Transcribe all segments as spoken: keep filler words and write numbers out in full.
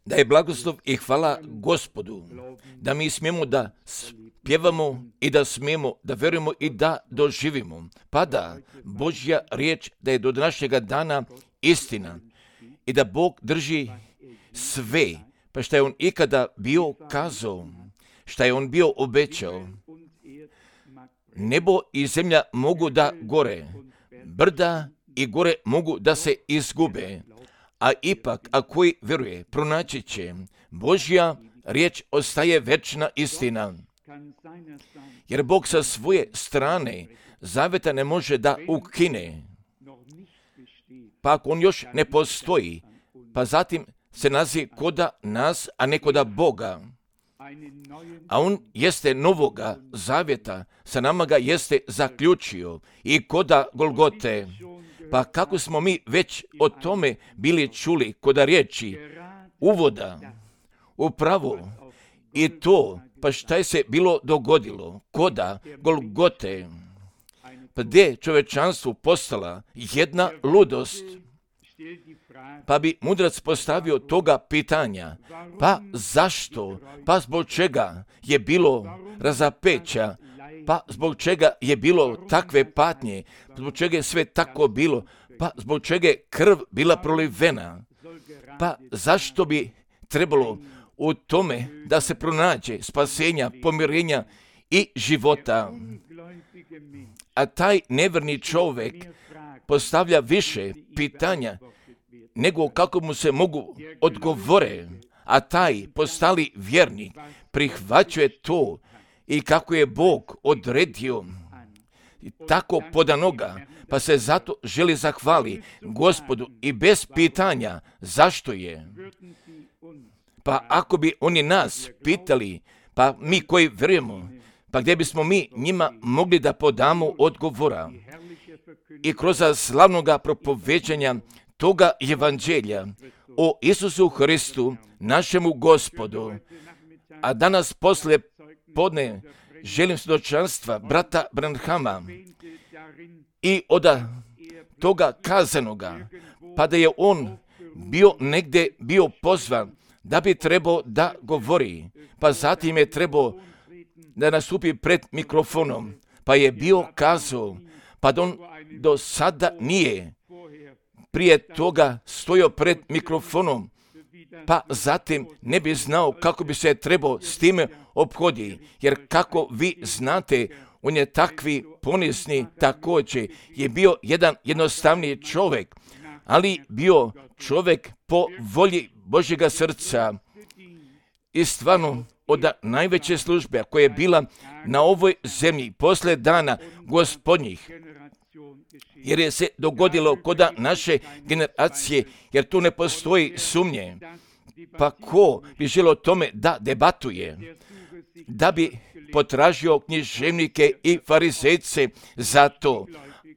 Da je blagoslov i hvala Gospodu, da mi smijemo da pjevamo i da smijemo da verujemo i da doživimo. Pa da Božja riječ da je do današnjega dana istina i da Bog drži sve, pa šta je On ikada bio kazao, šta je On bio obećao. Nebo i zemlja mogu da gore, brda i gore mogu da se izgube, a ipak, a koji vjeruje, pronaći će. Božja riječ ostaje večna istina. Jer Bog sa svoje strane zaveta ne može da ukine. Pa ako On još ne postoji, pa zatim se nazi koda nas, a ne koda Boga. A On jeste novoga zavjeta, sa nama ga jeste zaključio i koda Golgote. Pa kako smo mi već o tome bili čuli koda riječi uvoda, upravo i to, pa šta je se bilo dogodilo koda Golgote, pa gdje je čovečanstvu postala jedna ludost. Pa bi mudrac postavio toga pitanja, pa zašto, pa zbog čega je bilo razapeća, pa zbog čega je bilo takve patnje, zbog čega je sve tako bilo, pa zbog čega je krv bila prolivena, pa zašto bi trebalo u tome da se pronađe spasenja, pomirenja i života. A taj neverni čovjek postavlja više pitanja nego kako mu se mogu odgovore, a taj postali vjernik prihvaćuje to i kako je Bog odredio i tako podanoga, pa se zato želi zahvali Gospodu i bez pitanja zašto je. Pa ako bi oni nas pitali, pa mi koji vjerujemo, pa gdje bismo mi njima mogli da podamo odgovora i kroz slavnoga propoveđanja toga evanđelja o Isusu Hristu, našemu Gospodu. A danas posle podne želim svjedočanstva brata Branhama i od toga kazanoga, pa da je on bio negdje bio pozvan da bi trebao da govori, pa zatim je trebao da nastupi pred mikrofonom, pa je bio kazao, pa da on do sada nije prije toga stojao pred mikrofonom, pa zatim ne bi znao kako bi se trebao s time ophoditi, jer kako vi znate, on je takvi ponizny, također je bio jedan jednostavniji čovjek, ali bio čovjek po volji Božjega srca i stvarno od najveće službe koja je bila na ovoj zemlji posle dana Gospodnjih, jer je se dogodilo kod naše generacije, jer tu ne postoji sumnje. Pa ko bi želio o tome da debatuje, da bi potražio književnike i farizejce za to,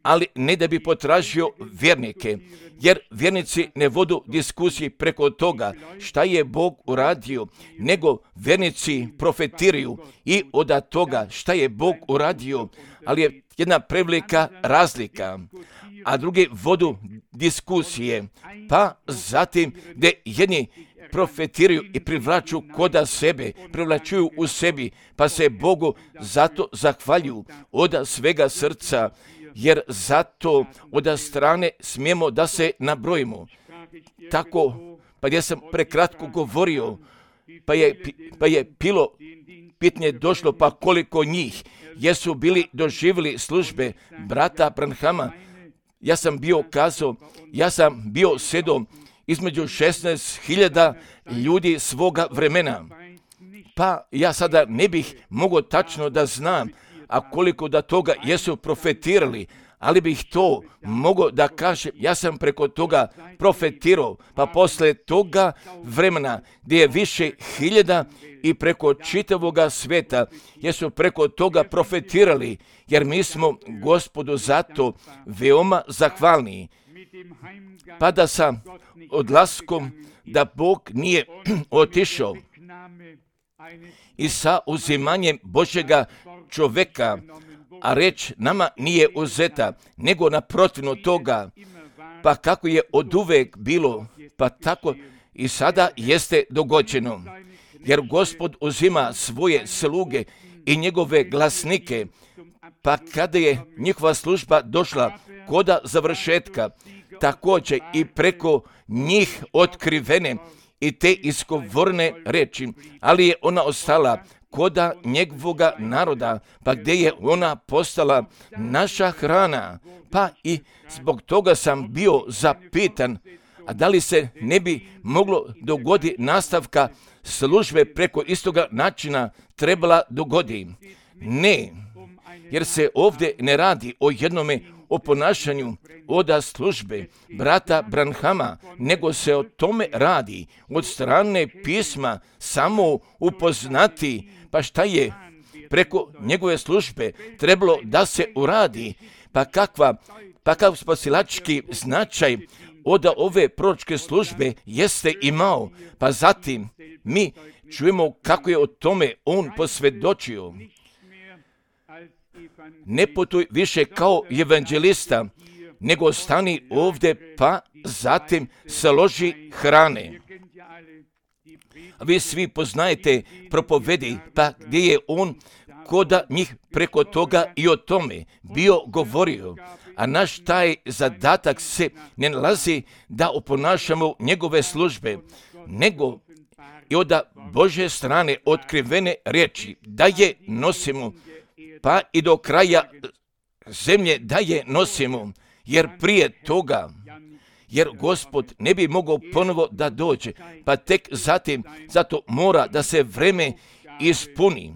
ali ne da bi potražio vjernike, jer vjernici ne vodu diskusiji preko toga šta je Bog uradio, nego vjernici profetiraju i od toga šta je Bog uradio, ali je jedna prevelika razlika, a drugi vodu diskusije, pa zatim gdje jedni profetiraju i privlaču koda sebe, privlačuju u sebi, pa se Bogu zato zahvaljuju od svega srca, jer zato od strane smijemo da se nabrojimo. Tako, pa ja sam prekratko govorio, pa je, pa je pilo pitanje došlo, pa koliko njih jesu bili doživjeli službe brata Branhama. Ja sam bio kazao, ja sam bio sedom između šesnaest hiljada ljudi svoga vremena. Pa ja sada ne bih mogao tačno da znam, a koliko da toga jesu profetirali, ali bih to mogao da kažem, ja sam preko toga profetirao, pa posle toga vremena gdje je više hiljada i preko čitavoga svijeta jesu preko toga profetirali, jer mi smo Gospodu zato veoma zahvalni. Pa da sa odlaskom da Bog nije otišao i sa uzimanjem Božjega čovjeka, a reč nama nije uzeta, nego naprotivno toga, pa pa kako je oduvek bilo, pa tako i sada jeste dogođeno. Jer Gospod uzima svoje sluge i njegove glasnike, pa kada je njihova služba došla koda završetka, također i preko njih otkrivene i te izgovorne reči, ali je ona ostala koda njegovoga naroda, pa gdje je ona postala naša hrana. Pa i zbog toga sam bio zapitan, a da li se ne bi moglo dogoditi nastavka službe preko istoga načina trebala dogodi? Ne, jer se ovdje ne radi o jednome oponašanju oda službe brata Branhama, nego se o tome radi od strane pisma samo upoznati, pa šta je preko njegove službe trebalo da se uradi, pa kakva, pa kakav spasilački značaj od ove proročke službe jeste imao, pa zatim mi čujemo kako je o tome on posvjedočio. Ne putuj više kao evanđelista, nego stani ovdje, pa zatim složi hrane. Vi svi poznajete propovedi, pa gdje je on koda njih preko toga i o tome bio govorio, a naš taj zadatak se ne nalazi da oponašamo njegove službe, nego i od Božje strane otkrivene riječi da je nosimo, pa i do kraja zemlje da je nosimo, jer prije toga, jer Gospod ne bi mogao ponovo da dođe, pa tek zatim, zato mora da se vreme ispuni.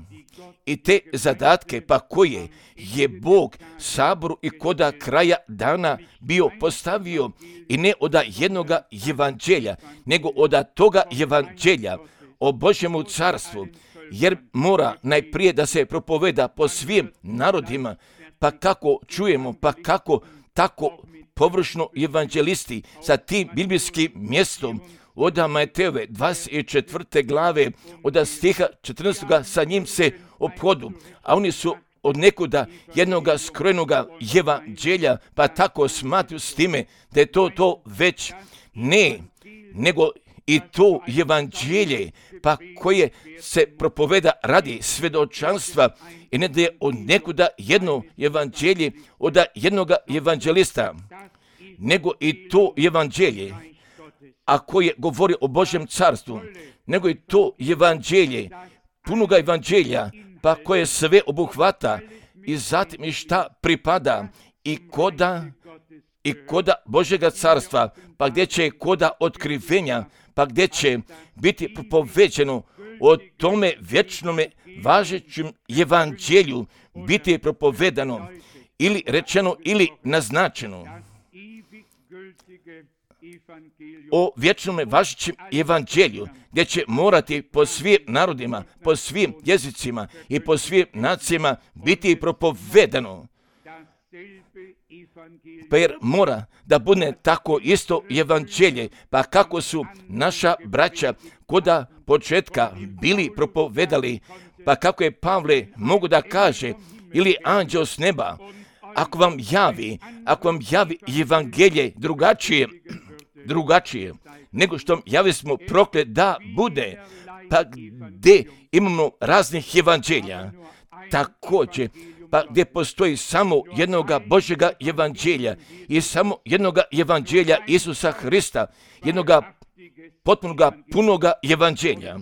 I te zadatke, pa koje je Bog saboru i koda kraja dana bio postavio, i ne od jednoga evanđelja, nego od toga evanđelja o Božjemu carstvu, jer mora najprije da se propoveda po svim narodima, pa kako čujemo, pa kako tako površno evanđelisti sa tim biblijskim mjestom od Matejove dvadeset četvrte glave, od stiha četrnaestog sa njim se ophodu, a oni su od nekuda jednoga skrojenoga evanđelja, pa tako smatruju s time da je to to već ne, nego i to evanđelje, pa koje se propoveda radi svjedočanstva, i ne da je od nekuda jedno evanđelje od jednoga evanđelista, nego i to evanđelje, a koje govori o Božjem carstvu, nego i to evanđelje, punoga evanđelja, pa koje sve obuhvata i zatim i šta pripada i koda i koda Božjega carstva, pa gdje će koda otkrivenja, pa gdje će biti propoveđeno o tome vječnome važećem evanđelju biti propovedano ili rečeno ili naznačeno. O vječnome važećem evanđelju, gdje će morati po svim narodima, po svim jezicima i po svim nacijama biti propovedano. Pa jer mora da bude tako isto evanđelje, pa kako su naša braća koda početka bili propovedali, pa kako je Pavle mogu da kaže, ili anđeo s neba, ako vam javi, ako vam javi evanđelje drugačije, drugačije, nego što javi smo proklet da bude, pa gdje imamo raznih evanđelja, također, pa gdje postoji samo jednoga Božjega evanđelja i samo jednoga evanđelja Isusa Hrista, jednoga potpunoga, punoga evanđelja.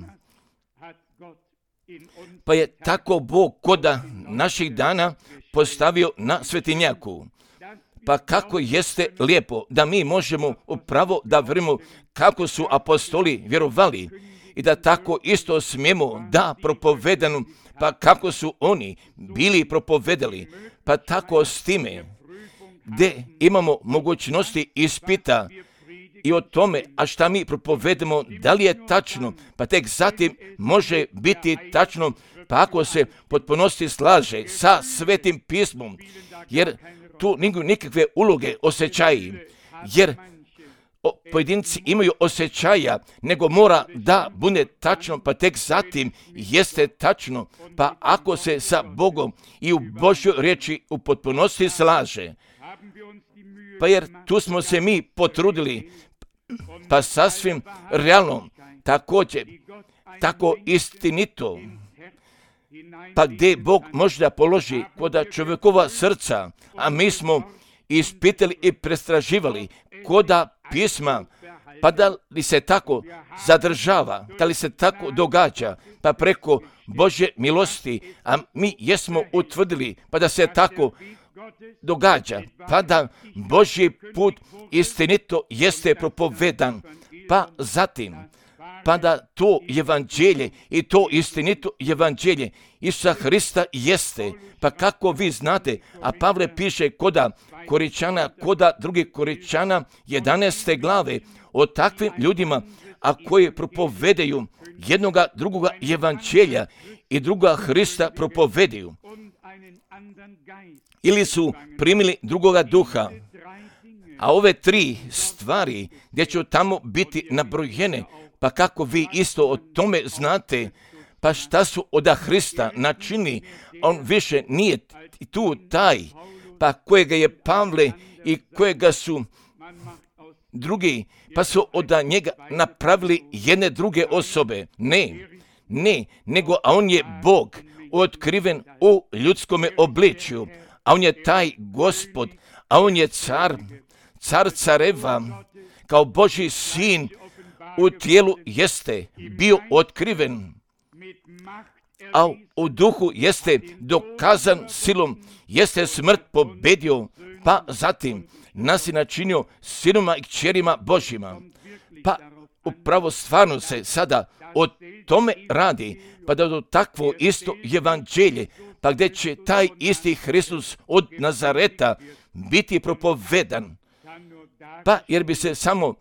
Pa je tako Bog koda naših dana postavio na svetinjaku. Pa kako jeste lijepo da mi možemo upravo da vjerujemo kako su apostoli vjerovali i da tako isto smijemo da propovedanu, pa kako su oni bili propovedali, pa tako s time gdje imamo mogućnosti ispita i o tome, a šta mi propovedemo, da li je tačno, pa tek zatim može biti tačno, pa ako se potpunosti slaže sa Svetim pismom, jer tu nigu nikakve uloge osjećaji, jer o, pojedinci imaju osjećaja, nego mora da bude tačno, pa tek zatim jeste tačno, pa ako se sa Bogom i u Božjoj riječi u potpunosti slaže, Pa jer tu smo se mi potrudili, pa sasvim realno, također, tako istinito, pa gdje Bog možda položi koda čovjekova srca, a mi smo ispitali i prestraživali koda pisma, pa da li se tako zadržava, da li se tako događa, pa preko Božje milosti, a mi jesmo utvrdili, pa da se tako događa, pa da Božji put istinito jeste propovedan, pa zatim, pa da to evanđelje i to istinito evanđelje Isusa Hrista jeste, pa kako vi znate, a Pavle piše koda Koričana, koda drugih Koričana jedanaeste glave, o takvim ljudima, a koji propovedaju jednoga drugoga evanđelja i druga Hrista propovedaju, ili su primili drugoga duha. A ove tri stvari gdje će tamo biti nabrojene, pa kako vi isto o tome znate, pa šta su od Hrista načini, on više nije tu taj, pa kojega je Pavle i kojega su drugi, pa su od njega napravili jedne druge osobe. Ne, ne, nego a on je Bog otkriven u ljudskome obličju, a on je taj Gospod, a on je car, car careva, kao Božji sin u tijelu jeste bio otkriven, a u duhu jeste dokazan silom, jeste smrt pobedio, pa zatim nas je načinio sinoma i kćerima Božjima. Pa upravo stvarno se sada o tome radi, pa da do takvo isto evanđelje, pa gdje će taj isti Hristos od Nazareta biti propovedan, pa jer bi se samo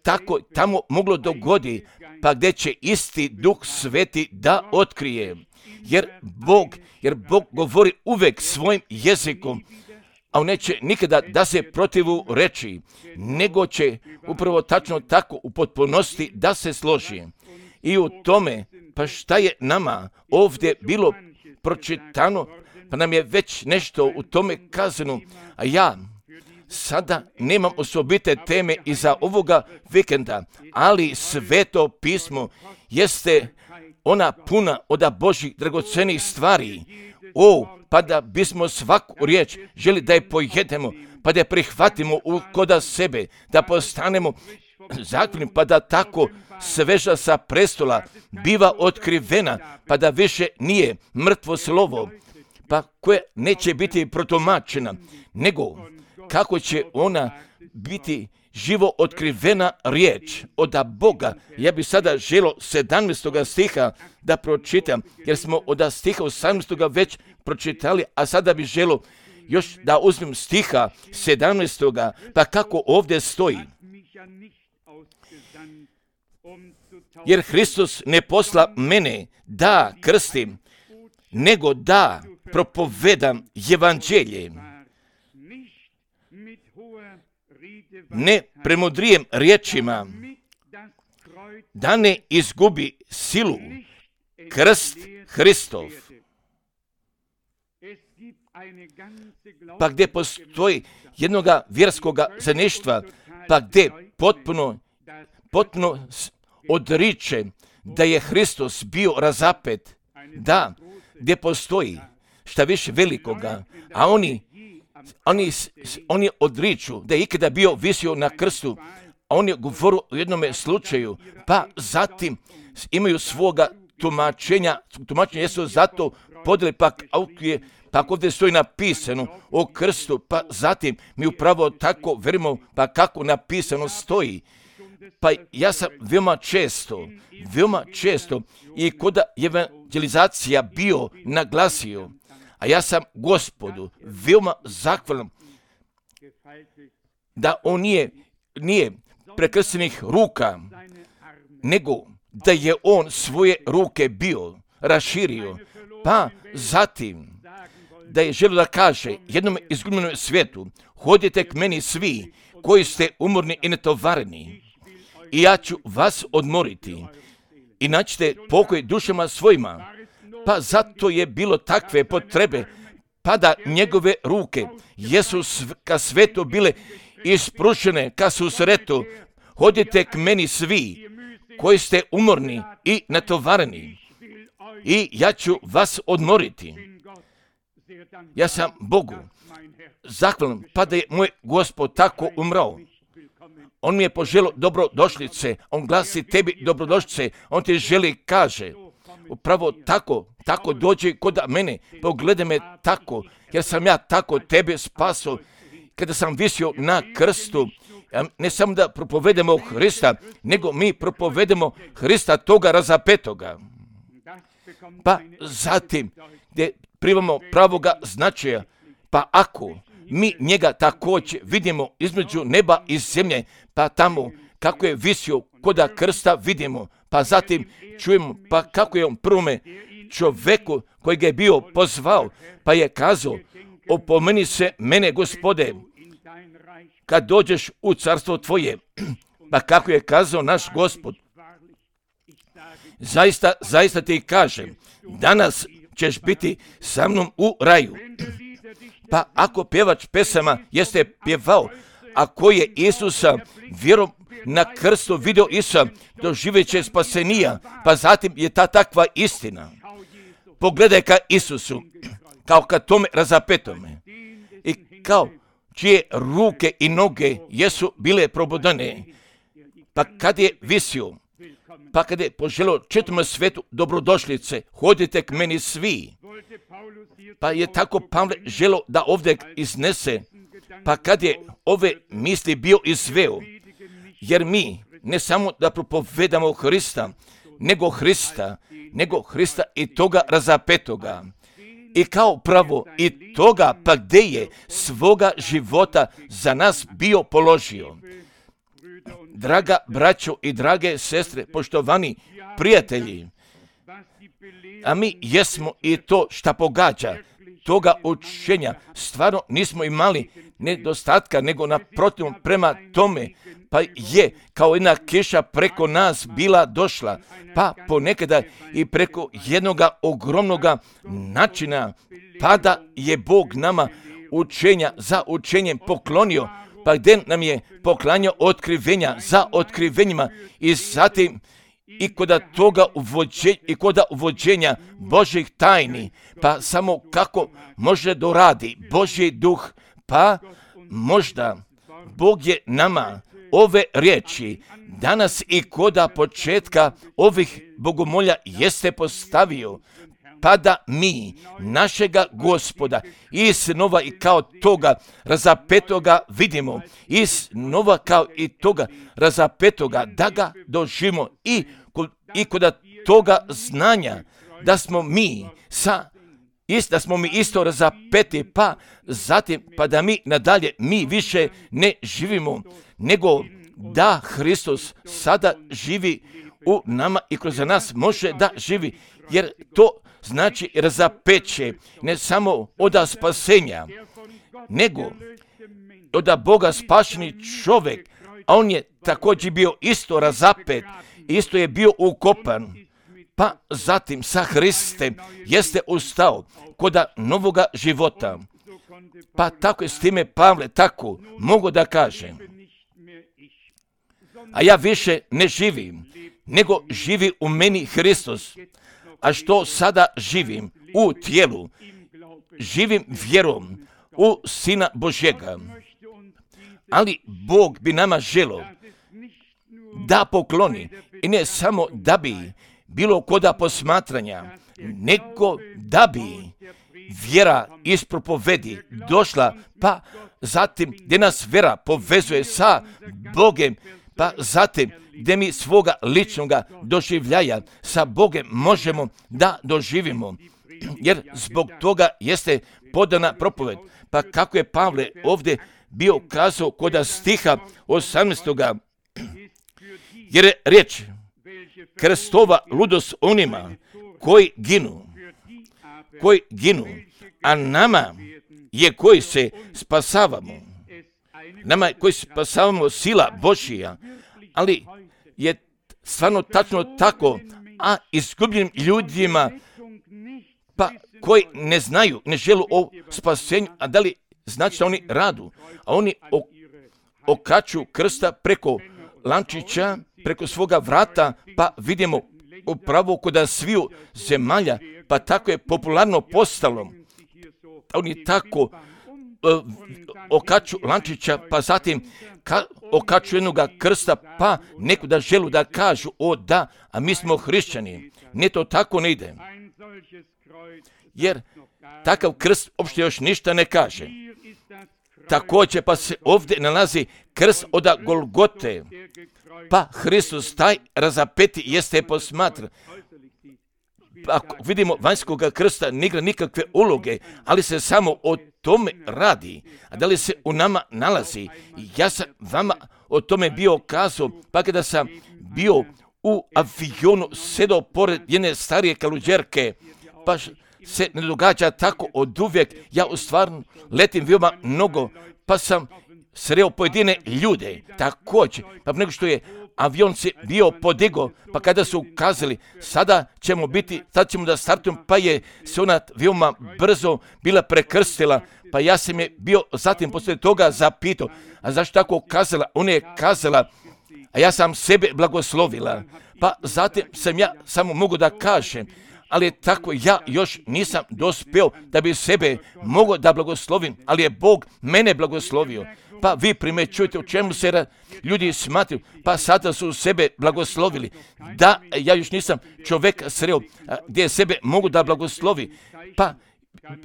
tako tamo moglo dogodi, pa gdje će isti Duh Sveti da otkrije, jer Bog, jer Bog govori uvek svojim jezikom, a on neće nikada da se protivu reći, nego će upravo tačno tako u potpunosti da se složi. I u tome, pa šta je nama ovdje bilo pročitano, pa nam je već nešto u tome kazano, a ja sada nemam osobite teme iza ovoga vikenda, ali Sveto pismo jeste ona puna od Božjih dragocenih stvari. O, pa da bismo svaku riječ želi da je pojedemo, pa da je prihvatimo u koda sebe, da postanemo zakljeni, pa da tako sveža sa prestola biva otkrivena, pa da više nije mrtvo slovo, pa koje neće biti protumačena, nego kako će ona biti živo otkrivena riječ od Boga. Ja bih sada želio sedamnaestog stiha da pročitam, jer smo od stiha osamnaestog već pročitali, a sada bih želio još da uzmem stiha sedamnaestog pa kako ovdje stoji. Jer Hristos ne posla mene da krstim, nego da propovedam evanđelje. Ne premudrijem riječima, da ne izgubi silu krst Hristov. Pa gdje postoji jednoga vjerskoga zajedništva, pa gdje potpuno, potpuno odriče da je Hristos bio razapet, da, gdje postoji šta više velikoga, a oni Oni, oni odriču da je ikada bio visio na krstu, a on je govorio u jednom slučaju, pa zatim imaju svoga tumačenja, tumačenja jesu zato podeli, pa je, pa ovdje stoji napisano o krstu, pa zatim mi upravo tako verimo, pa kako napisano stoji. Pa ja sam veoma često, veoma često i kod evangelizacija bio naglasio, a ja sam Gospodu veoma zahvalan da on nije, nije prekrštenih ruka, nego da je on svoje ruke bio raširio, pa zatim da je želio da kaže jednom izgubljenom svijetu, hodite k meni svi koji ste umorni i netovareni i ja ću vas odmoriti i naćete pokoj dušama svojima. Pa zato je bilo takve potrebe, pa da njegove ruke jesu ka svetu bile isprušene ka susretu, hodite k meni svi koji ste umorni i natovareni i ja ću vas odmoriti. Ja sam Bogu zahvalan, pa da je moj Gospod tako umrao. On mi je poželio dobrodošlice, on glasi tebi dobrodošlice, on ti želi, kaže, upravo tako, tako dođi kod mene, pogledaj me tako, jer sam ja tako tebe spasao, kada sam visio na krstu, ne samo da propovedemo Hrista, nego mi propovedemo Hrista toga razapetoga. Pa zatim, gdje primamo pravoga značaja, pa ako mi njega također vidimo između neba i zemlje, pa tamo kako je visio koda krsta vidimo, pa zatim čujemo pa kako je on prvome čovjeku koji ga je bio pozvao, pa je kazao, opomeni se mene, Gospode, kad dođeš u carstvo tvoje. Pa kako je kazao naš Gospod, zaista, zaista ti kažem, danas ćeš biti sa mnom u raju. Pa ako pjevač pesama jeste pjevao, ako je Isusa vjerom na krstu video Isusa, doživjet će spasenija, pa zatim je ta takva istina. Pogledaj ka Isusu, kao ka tome razapetome, i kao čije ruke i noge jesu bile probodane, pa kad je visio, pa kad je poželio četvrtom svetu dobrodošlice, hodite k meni svi. Pa je tako Pavle želio da ovdje iznese, pa kad je ove misli bio izveo, jer mi ne samo da propovedamo Hrista, nego Hrista, nego Hrista i toga razapetoga. I kao pravo i toga pa gdje je svoga života za nas bio položio. Draga braćo i drage sestre, poštovani prijatelji, a mi jesmo i to šta pogađa, toga učenja stvarno nismo imali nedostatka, nego naprotiv prema tome, pa je kao jedna kiša preko nas bila došla, pa ponekada i preko jednoga ogromnoga načina, pa da je Bog nama učenja za učenjem poklonio, pa gdje nam je poklanjao otkrivenja za otkrivenjima i zatim i kod toga uvođenja, i kod uvođenja Božih tajni, pa samo kako može doradi Božji duh, pa možda Bog je nama ove riječi danas i koda početka ovih bogomolja jeste postavio, pa da mi našega Gospoda iznova i kao toga razapetoga vidimo, iznova kao i toga razapetoga da ga doživimo i, i kod toga znanja da smo mi sa Ist, da smo mi isto razapeti, pa zatim, pa da mi nadalje, mi više ne živimo, nego da Hristos sada živi u nama i kroz nas može da živi, jer to znači razapeće ne samo od spasenja, nego od Boga spašeni čovjek, a on je također bio isto razapet, isto je bio ukopan, pa zatim sa Hristem jeste ustao kod novoga života. Pa tako je s time Pavle tako mogu da kažem. A ja više ne živim, nego živi u meni Hristos. A što sada živim u tijelu, živim vjerom u Sina Božjega. Ali Bog bi nama želio da pokloni, i ne samo da bi bilo koda posmatranja, nego da bi vjera iz propovedi došla, pa zatim gdje nas vjera povezuje sa Bogem, pa zatim gdje mi svoga ličnoga doživljaja sa Bogem možemo da doživimo, jer zbog toga jeste podana propoved. Pa kako je Pavle ovdje bio kazao kod stiha osamnaestog jer je riječ krstova ludost onima koji ginu, koji ginu, a nama je koji se spasavamo, nama koji spasavamo sila Božija, ali je stvarno tačno tako, a izgubljenim ljudima, pa koji ne znaju, ne žele o spasenju, a da li znači da oni radu, a oni o, okaču krsta preko lančića, preko svoga vrata, pa vidimo upravo kod sviju zemalja, pa tako je popularno postalo. Oni tako uh, okaču lančića, pa zatim ka, okaču jednoga krsta, pa neko da želu da kažu, o da, a mi smo hrišćani. Ne, to tako ne ide. Jer takav krst uopšte još ništa ne kaže. Također pa se ovdje nalazi krst od Golgote, pa Hristos taj razapeti jeste posmatran. Ako vidimo vanjskog krsta ne igra nikakve uloge, ali se samo o tome radi. A da li se u nama nalazi? Ja sam vama o tome bio kazao, pa kada sam bio u avionu sedao pored jedne starije kaluđerke, pa se ne događa tako od uvijek. Ja u stvarno letim veoma mnogo, pa sam sreo pojedine ljude također, pa nego što je avion se bio podigo, pa kada su ukazali, sada ćemo biti, sad ćemo da startujemo, pa je se ona veoma brzo bila prekrstila, pa ja sam je bio zatim poslije toga zapitao, a zašto tako kazala? Ona je kazala, a ja sam sebe blagoslovila, pa zatim sam ja samo mogu da kažem, ali tako ja još nisam dospeo da bi sebe mogao da blagoslovim, ali je Bog mene blagoslovio. Pa vi primećujete u čemu se ljudi smatruju, pa sada su sebe blagoslovili. Da, ja još nisam čovjek sreo gdje sebe mogu da blagoslovi, pa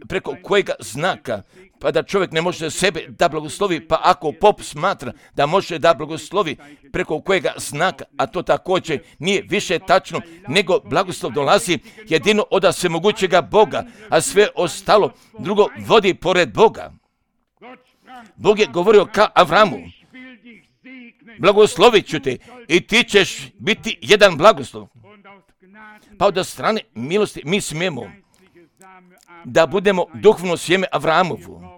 preko kojega znaka, pa da čovjek ne može sebe da blagoslovi, pa ako pop smatra da može da blagoslovi preko kojega znaka, a to također nije više tačno, nego blagoslov dolazi jedino od svemogućega Boga, a sve ostalo drugo vodi pored Boga. Bog je govorio ka Avramu, blagoslovit ću te i ti ćeš biti jedan blagoslov. Pa od strane milosti mi smijemo da budemo duhovno sjeme Avramovu,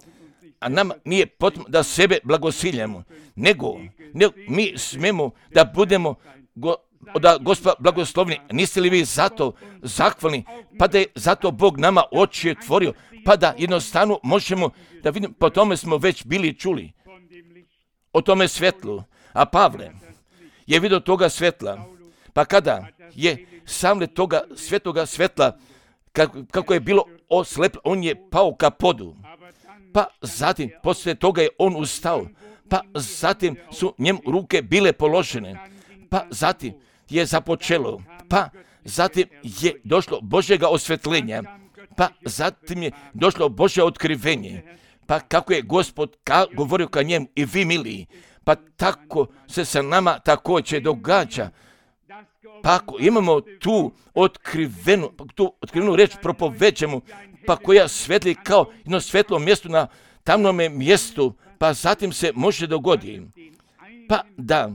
a nam nije potrebno da sebe blagosiljamo, nego, nego mi smijemo da budemo go, da Gospoda blagoslovni. Niste li vi zato zahvalni, pa da je zato Bog nama oči otvorio, pa da jednostavno možemo da vidimo, po tome smo već bili čuli, o tome svetlu. A Pavle je vidio toga svetla, pa kada je sam toga svetoga svetla, kako, kako je bilo osleplo, on je pao ka podu, pa zatim poslije toga je on ustao, pa zatim su njemu ruke bile položene, pa zatim je započelo, pa zatim je došlo Božjega osvetljenja, pa zatim je došlo Božje otkrivenje, pa kako je Gospod ka, govorio ka njemu i vi miliji, pa tako se sa nama također događa. Pa ako imamo tu otkrivenu, tu otkrivenu reč propovećemo, pa koja svetli kao jedno svetlo mjesto na tamnome mjestu, pa zatim se može dogoditi, pa da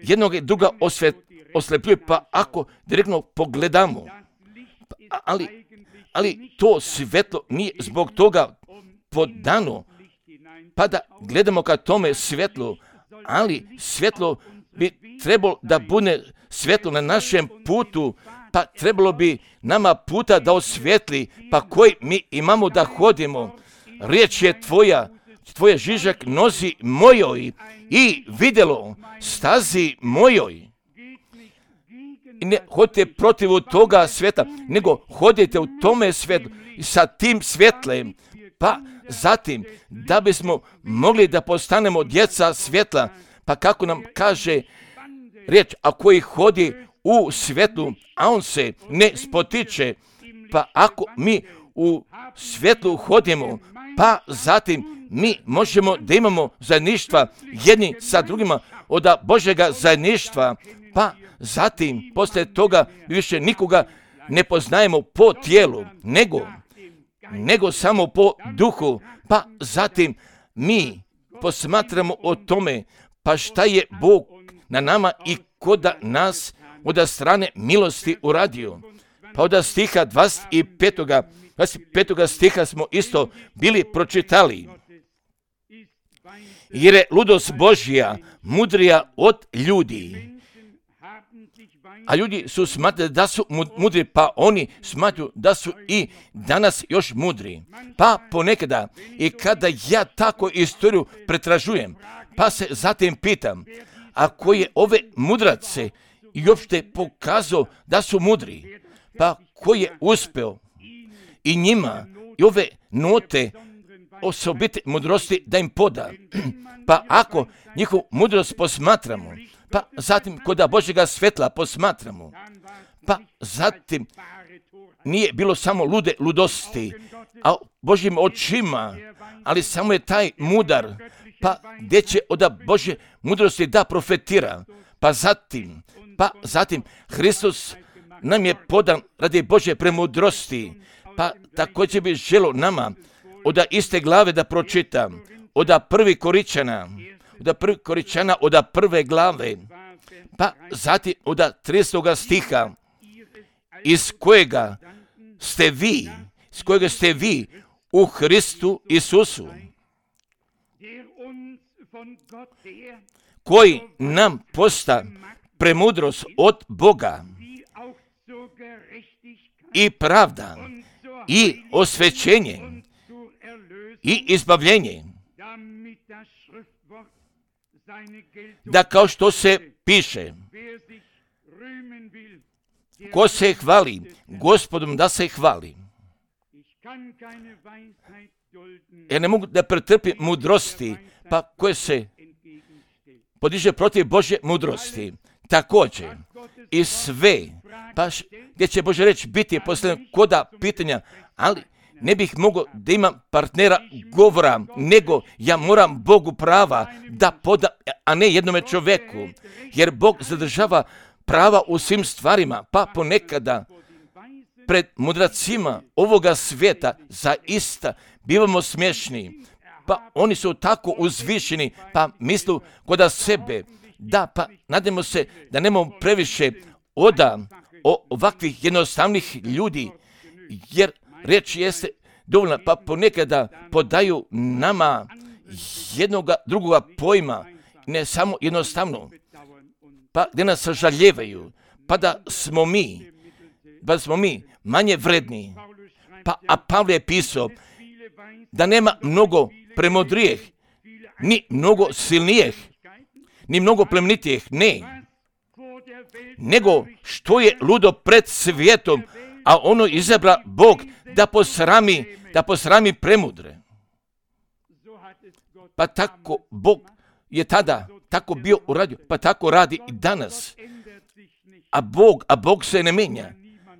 jednog i druga osvet, oslepljuje, pa ako direktno pogledamo, pa, ali, ali to svetlo nije zbog toga podano, pa da gledamo ka tome svetlu, ali svetlo bi trebalo da bude svetlo na našem putu, pa trebalo bi nama puta da osvetli, pa koji mi imamo da hodimo. Riječ je tvoja, tvoje žižak nozi mojoj i vidjelo stazi mojoj. I ne hodite protiv toga sveta, nego hodite u tome svetlu i sa tim svetlem, pa zatim da bismo mogli da postanemo djeca svjetla, pa kako nam kaže riječ, a koji hodi u svjetlu, a on se ne spotiče, pa ako mi u svjetlu hodimo, pa zatim mi možemo da imamo zajedništva jedni sa drugima od Božjega zajedništva, pa zatim poslije toga više nikoga ne poznajemo po tijelu, nego, nego samo po duhu, pa zatim mi posmatramo o tome, pa šta je Bog na nama i kod nas od strane milosti uradio. Pa od stiha dvadeset petog dvadeset petog stiha smo isto bili pročitali. Jer je ludost Božja mudrija od ljudi A ljudi su smatrali da su mudri, pa oni smatruju da su i danas još mudri. Pa ponekada, i kada ja tako istoriju pretražujem, pa se zatim pitam, ako je ove mudrace i uopšte pokazao da su mudri, pa ko je uspeo i njima i ove note osobite mudrosti da im poda. Pa ako njihovu mudrost posmatramo, pa zatim koda Božjega svetla posmatramo, pa zatim nije bilo samo lude ludosti, a Božjim očima, ali samo je taj mudar, pa gdje će od Božje mudrosti da profetira, pa zatim, pa zatim Hristos nam je podan radi Božje premudrosti, pa također bi želo nama od iste glave da pročitam, od prvi Koričana, od prvi Koričana, od prve glave, pa zatim od tridesetog stiha, iz kojega ste vi, iz kojega ste vi u Hristu Isusu, koji nam posta premudrost od Boga i pravda i osvećenje i izbavljenje, da kao što se piše, ko se hvali Gospodom da se hvali. Ja ne mogu da pretrpim mudrosti, pa koje se podiže protiv Božje mudrosti. Također i sve, pa š, gdje će Božja reč biti posljedno koda pitanja, ali ne bih mogao da imam partnera govora, nego ja moram Bogu prava da poda, a ne jednome čovjeku, jer Bog zadržava prava u svim stvarima, pa ponekada pred mudracima ovoga svijeta zaista bivamo smiješni, pa oni su tako uzvišeni, pa mislu koda sebe, da, pa nadamo se da nemamo previše oda o ovakvih jednostavnih ljudi, jer reč jeste dovoljna, pa ponekada podaju nama jednoga drugoga pojma, ne samo jednostavno, pa gdje nas sažaljevaju, pa da smo mi, pa da smo mi manje vredni, pa a Pavle je pisao da nema mnogo premudrijeh, ni mnogo silnijeh, ni mnogo plemenitijeh, ne, nego što je ludo pred svijetom, a ono izabra Bog da posrami, da posrami premudre. Pa tako Bog je tada tako bio uradio, pa tako radi i danas. A Bog, a Bog se ne menja,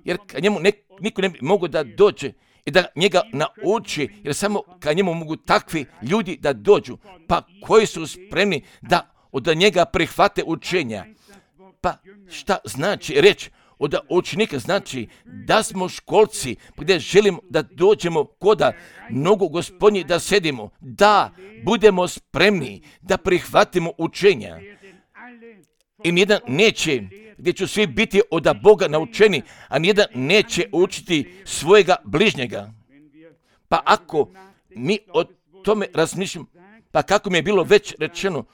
jer kad njemu ne, niko ne bi mogao da dođe i da njega nauči, jer samo kad njemu mogu takvi ljudi da dođu, pa koji su spremni da od njega prihvate učenja. Pa šta znači reći od učenika? Znači da smo školci gdje želimo da dođemo koda nogu Gospodnji da sedimo, da budemo spremni da prihvatimo učenja. I nijedan neće, gdje će svi biti od Boga naučeni, a nijedan neće učiti svojega bližnjega. Pa ako mi o tome razmišljamo, pa kako mi je bilo već rečeno,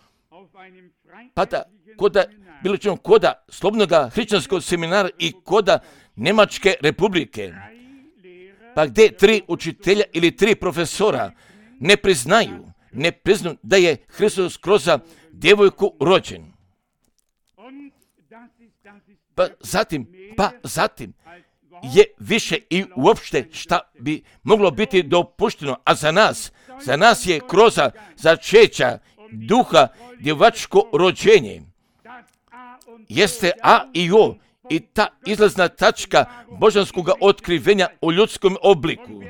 pa da koda bilo rečeno koda slobodnog hrišćanskog seminara i koda Njemačke republike, pa gdje tri učitelja ili tri profesora ne priznaju, ne priznaju da je Hristos kroz djevojku rođen. Pa zatim, pa zatim je više i uopšte šta bi moglo biti dopušteno, a za nas, za nas je kroz začeća duha djevačko rođenje. Jeste A i O i ta izlazna tačka božanskog otkrivenja u ljudskom obliku.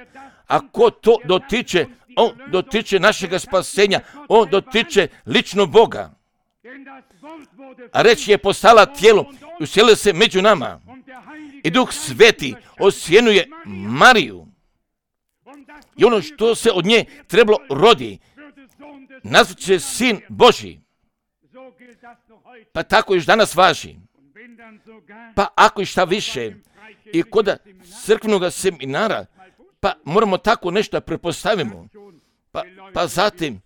Ako to dotiče, on dotiče našega spasenja, on dotiče lično Boga. A reč je postala tijelo i uselila se među nama. I Duh Sveti osjenuje Mariju. I ono što se od nje trebalo rodi, nazvat će Sin Božji. Pa tako još danas važi. Pa ako i šta više, i kod crkvenog seminara, pa moramo tako nešto prepostavimo. Pa, pa zatim,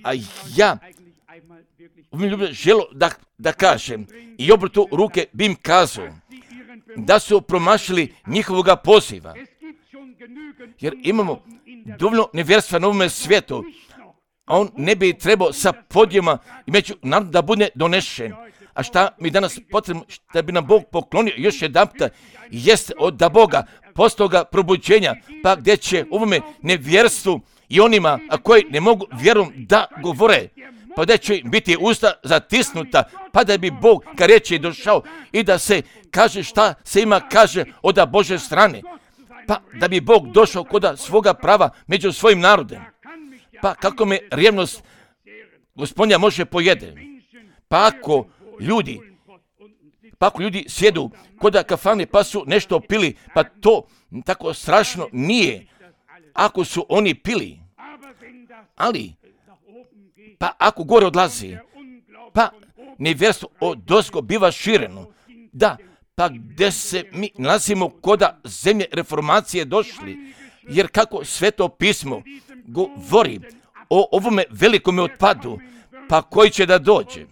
a ja ovim želo da, da kažem i obrtu ruke bi im kazao da su promašili njihovoga poziva. Jer imamo dovoljno nevjerstva na ovome svijetu, a on ne bi trebao sa podijema i među narodom da bude donešen. A šta mi danas potrebno, šta bi nam Bog poklonio još jedan puta, jeste od da Boga postoga probuđenja, pa gdje će ovome nevjerstvu i onima a koji ne mogu vjerom da govore, pa gdje će biti usta zatisnuta, pa da bi Bog ka riječi došao i da se kaže šta se ima kaže od Bože strane, pa da bi Bog došao kod svoga prava među svojim narodem. Pa kako me revnost Gospodnja može pojede? Pa ako ljudi, pa ako ljudi sjedu kod kafane pa su nešto pili, pa to tako strašno nije ako su oni pili. Ali, pa ako gore odlazi, pa nevjerstvo odozgo biva šireno. Da, pa gdje se mi nalazimo kod zemlje reformacije došli, jer kako Sveto pismo govori o ovome velikome otpadu, pa koji će da dođe.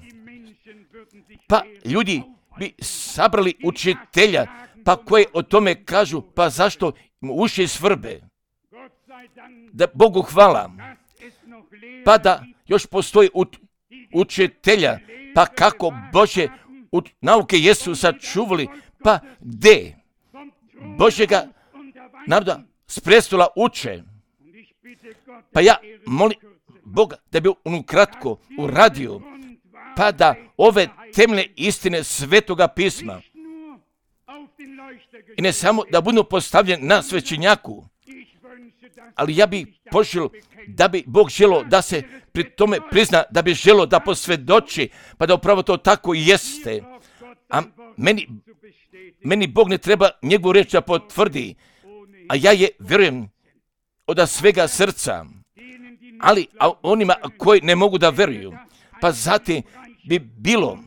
Pa ljudi bi sabrali učitelja, pa koji o tome kažu, pa zašto mu uši svrbe. Da Bogu hvala, pa da još postoji učitelja, pa kako Bože nauke jesu sačuvali, pa gdje Božjega naroda s prestola uče. Pa ja molim Boga da bi on kratko uradio, pa da ove temeljne istine Svetoga pisma i ne samo da budu postavljene na svećenjaku, ali ja bih poželio da bi Bog želio da se pri tome prizna, da bi želio da posvjedoči, pa da upravo to tako i jeste. A meni, meni Bog ne treba njegovu riječ da potvrdi, a ja je vjerujem od svega srca. Ali a onima koji ne mogu da vjeruju, pa zatim bi bilo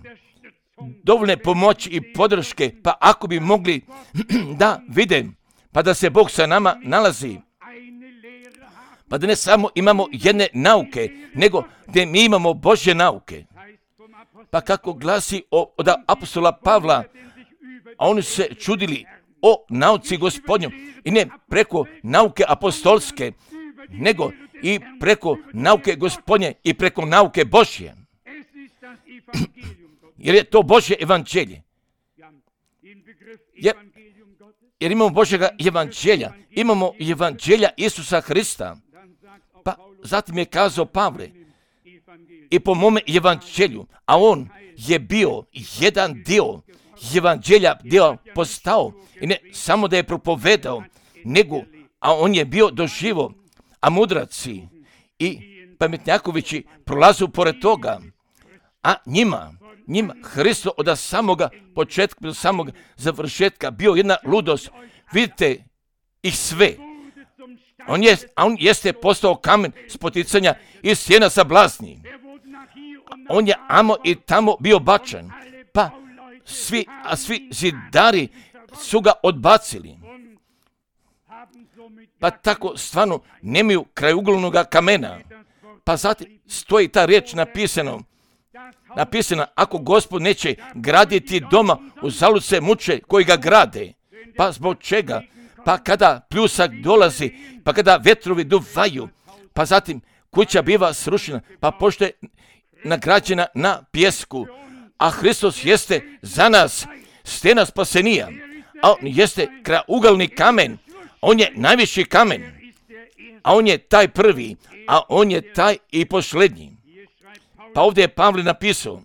dovoljne pomoći i podrške, pa ako bi mogli da vide, pa da se Bog sa nama nalazi, pa da ne samo imamo jedne nauke, nego da mi imamo Božje nauke. Pa kako glasi od apostola Pavla, a oni se čudili o nauci Gospodnjom i ne preko nauke apostolske, nego i preko nauke Gospodnje i preko nauke Božje. Jer je to Božje evanđelje. Jer, jer imamo Božjega evanđelja, imamo evanđelja Isusa Hrista. Pa zatim je kazao Pavle, i po mome evanđelju, a on je bio jedan dio evanđelja dio postao, i ne samo da je propovedao, nego, a on je bio doživo, a mudraci i pametnjakovići prolazu pored toga, a njima, njima Hristo od samoga početka do samog završetka bio jedna ludost. Vidite ih sve. On, je, on jeste postao kamen spoticanja i sjena sablasni. On je amo i tamo bio bačen. Pa svi, a svi zidari su ga odbacili. Pa tako stvarno nemaju krajugolnoga kamena. Pa zatim stoji ta riječ napisano. Napisana, ako Gospod neće graditi doma, uzalud se muče koji ga grade. Pa zbog čega? Pa kada pljusak dolazi, pa kada vetrovi duvaju, pa zatim kuća biva srušena, pa pošto je nagrađena na pjesku, a Hristos jeste za nas stena spasenija, a on jeste krajugolni kamen, on je najviši kamen, a on je taj prvi, a on je taj i posljednji. Pa ovdje je Pavle napisao,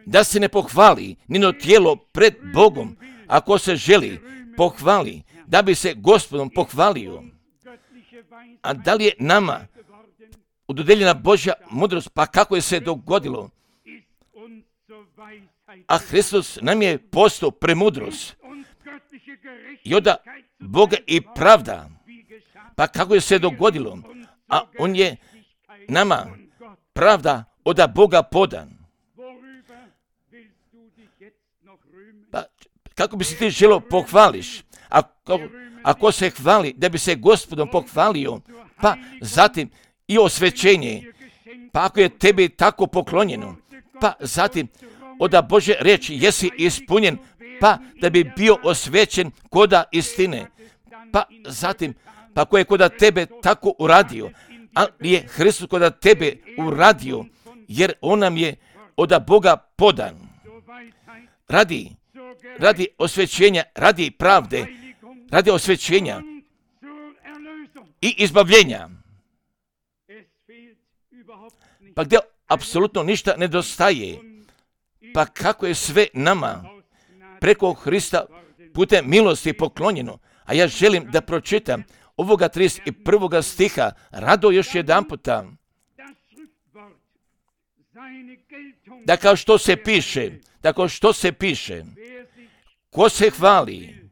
da se ne pohvali nino tijelo pred Bogom, ako se želi pohvali, da bi se Gospodom pohvalio. A da li je nama udodeljena Božja mudrost, pa kako je se dogodilo? A Hristos nam je postao premudrost i od Boga i pravda. Pa kako je se dogodilo? A on je nama pravda od Boga podan. Pa kako bi se ti želio pohvališ? Ako, ako se hvali da bi se Gospodom pohvalio, pa zatim i osvećenje, pa ako je tebi tako poklonjeno, pa zatim od Božje riječi jesi ispunjen, pa da bi bio osvećen koda istine, pa zatim, pa ko je koda tebe tako uradio, ali je Hristos koda tebe uradio, jer on nam je od Boga podan. Radi, radi osvećenja, radi pravde, radi osvećenja i izbavljenja. Pa gdje apsolutno ništa nedostaje, pa kako je sve nama preko Hrista putem milosti poklonjeno. A ja želim da pročitam ovoga trideset prvog stiha rado još jedan puta. Da kao što se piše, da kao što se piše, ko se hvali,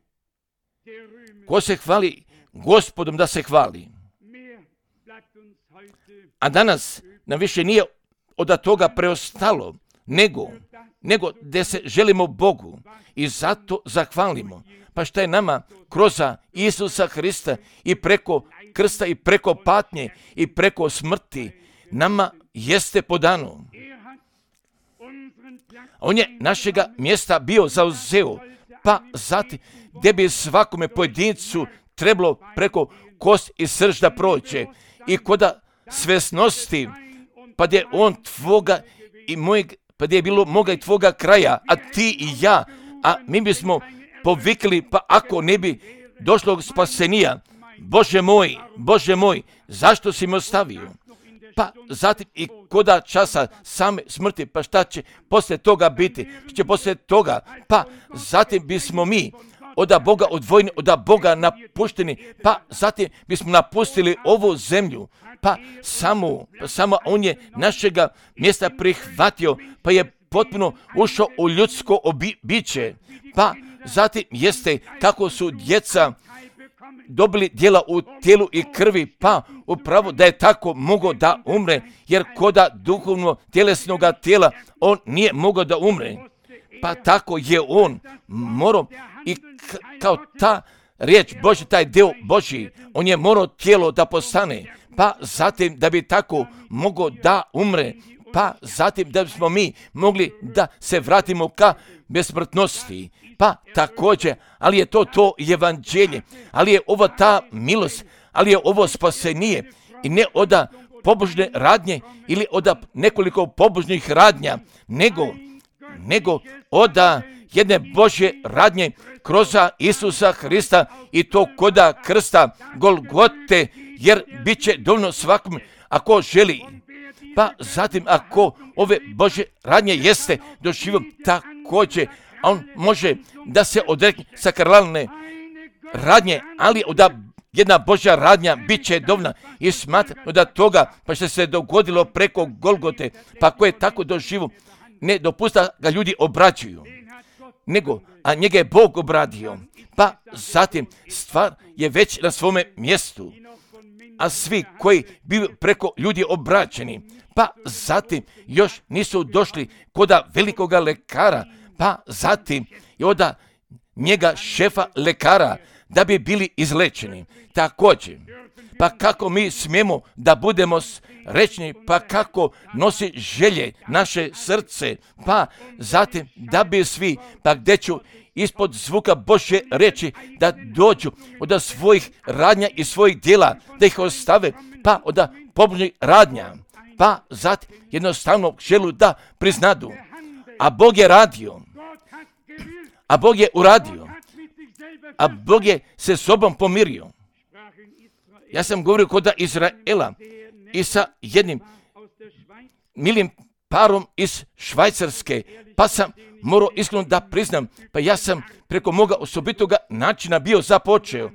ko se hvali Gospodom da se hvali. A danas nam više nije od toga preostalo, nego, nego da se želimo Bogu i zato zahvalimo. Pa šta je nama kroz Isusa Hrista i preko krsta i preko patnje i preko smrti, nama jeste podano. On je našega mjesta bio zauzeo, pa zatim gdje bi svakome pojedincu trebalo preko kost i srž da prođe i koda svesnosti, pa gdje on tvoga i mojeg, pa gdje je bilo moga i tvoga kraja, a ti i ja, a mi bismo povikli, pa ako ne bi došlo spasenija, Bože moj, Bože moj, zašto si me ostavio? Pa zatim i koda časa same smrti, pa šta će poslije toga biti? Šta će poslije toga? Pa zatim bismo mi od Boga odvojeni, od Boga napušteni, pa zatim bismo napustili ovu zemlju. Pa samo, pa samo on je našega mjesta prihvatio, pa je potpuno ušao u ljudsko obi, biće. Pa zatim jeste kako su djeca dobili djela u tijelu i krvi, pa upravo da je tako mogao da umre, jer koda duhovno tjelesnoga tijela on nije mogao da umre. Pa tako je on morao i k- kao ta riječ Božja, taj dio Božji, on je morao tijelo da postane, pa zatim da bi tako mogao da umre, pa zatim da bismo mi mogli da se vratimo ka besmrtnosti. Pa također, ali je to to evanđelje, ali je ovo ta milost, ali je ovo spasenije i ne od pobožne radnje ili od nekoliko pobožnih radnja, nego, nego od jedne Božje radnje kroz Isusa Hrista i to koda krsta Golgote, jer bit će dovoljno svakom ako želi. Pa zatim ako ove Božje radnje jeste doživio također, on može da se odrekne sakralne radnje, ali da jedna Božja radnja bit će dovoljna i smatra da toga, pa što se dogodilo preko Golgote, pa ko je tako doživio, ne dopusta ga ljudi obraćuju, nego, a njega je Bog obradio, pa zatim stvar je već na svome mjestu, a svi koji bili preko ljudi obraćeni, pa zatim još nisu došli koda velikoga lekara, pa zatim i od njega šefa lekara da bi bili izlečeni. Također, pa kako mi smijemo da budemo srećni, pa kako nosi želje naše srce, pa zatim da bi svi, pa gdje ću ispod zvuka Božje reći da dođu od svojih radnja i svojih djela, da ih ostave, pa od pobožnih radnja, pa zatim jednostavno želu da priznadu. A Bog je radio, a Bog je uradio, a Bog je se sobom pomirio. Ja sam govorio kod Izraela i sa jednim milim parom iz Švajcarske, pa sam morao iskreno da priznam, pa ja sam preko moga osobitoga načina bio započeo,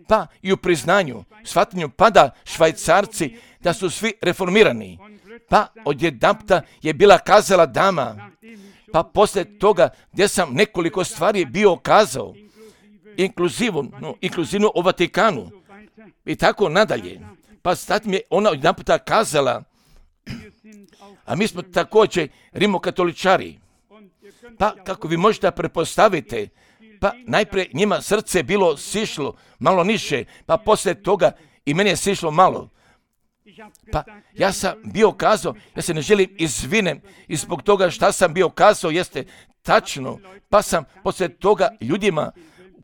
pa i u priznanju, shvatanju pada Švajcarci da su svi reformirani, pa odjedanputa je bila kazala dama, pa poslije toga gdje sam nekoliko stvari bio kazao, inkluzivno, no, inkluzivno o Vatikanu i tako nadalje, pa sad mi je ona odjedanputa kazala, a mi smo također rimokatoličari, pa kako vi možete prepostaviti, pa najprije njima srce bilo sišlo malo niše, pa poslije toga i meni je sišlo malo, Pa ja sam bio kazao, ja se ne želim izvinem i zbog toga šta sam bio kazao jeste tačno, pa sam poslije toga ljudima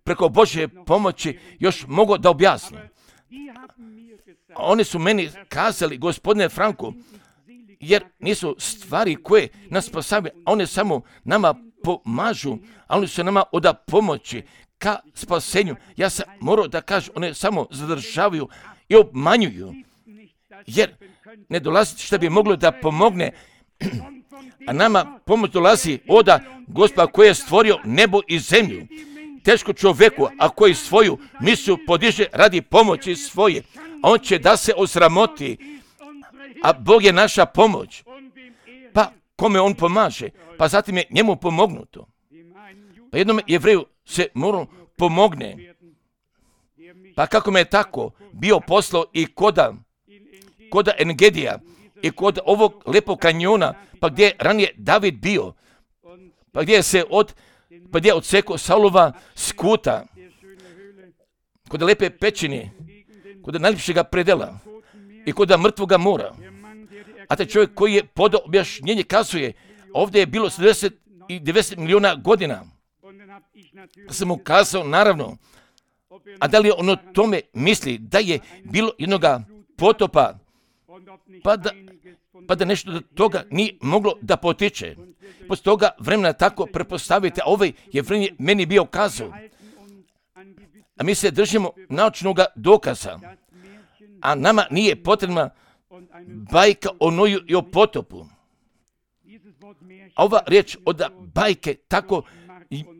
preko Božje pomoći još mogao da objasnim. Oni su meni kazali, gospodine Franko, jer nisu stvari koje nas spasavaju, a one samo nama pomažu, a oni su nama oda pomoći ka spasenju. Ja sam morao da kažem, one samo zadržavaju i obmanjuju, jer ne dolazi što bi moglo da pomogne, a nama pomoć dolazi oda Gospoda koji je stvorio nebo i zemlju. Teško čovjeku, a koji svoju misiju podiže radi pomoći svoje, a on će da se osramoti, a Bog je naša pomoć. Pa kome on pomaže? Pa zatim je njemu pomognuto. Pa jednom Jevreju se mora pomogne. Pa kako me je tako bio poslao i koda, koda Engedija i kod ovog lepog kanjona, pa gdje je ranije David bio, pa gdje je se od, pa gdje je odsekao Saulova skuta, kod lepe pećine, kod najljepšega predela i kod mrtvoga mora. A taj čovjek koji je podao objašnjenje kazuje, ovdje je bilo devedeset milijuna godina. Sam mu kazao, naravno, a da li on o tome misli da je bilo jednoga potopa, pa da, pa da nešto do toga nije moglo da potiče. Poslije toga vremena tako prepostavite, a ovaj je vremena meni bio kazao. A mi se držimo naučnog dokaza, a nama nije potrebna bajka o Noju i o potopu. A ova riječ od bajke tako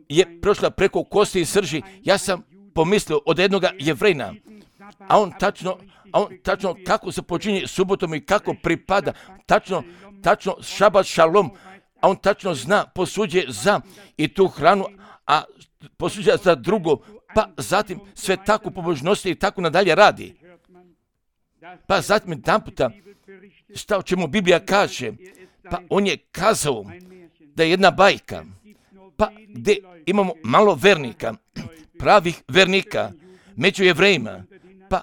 je prošla preko kosti i srži. Ja sam pomislio od jednog Jevrejna, a on tačno, a on tačno kako se počinje subotom i kako pripada, tačno, tačno šabat šalom, a on tačno zna, posuđe za i tu hranu, a posuđe za drugo, pa zatim sve tako pobožnosti i tako nadalje radi. Pa zatim jedan puta, šta o čemu Biblija kaže, pa on je kazao da je jedna bajka, pa gdje imamo malo vernika, pravih vernika, među Jevrejima, pa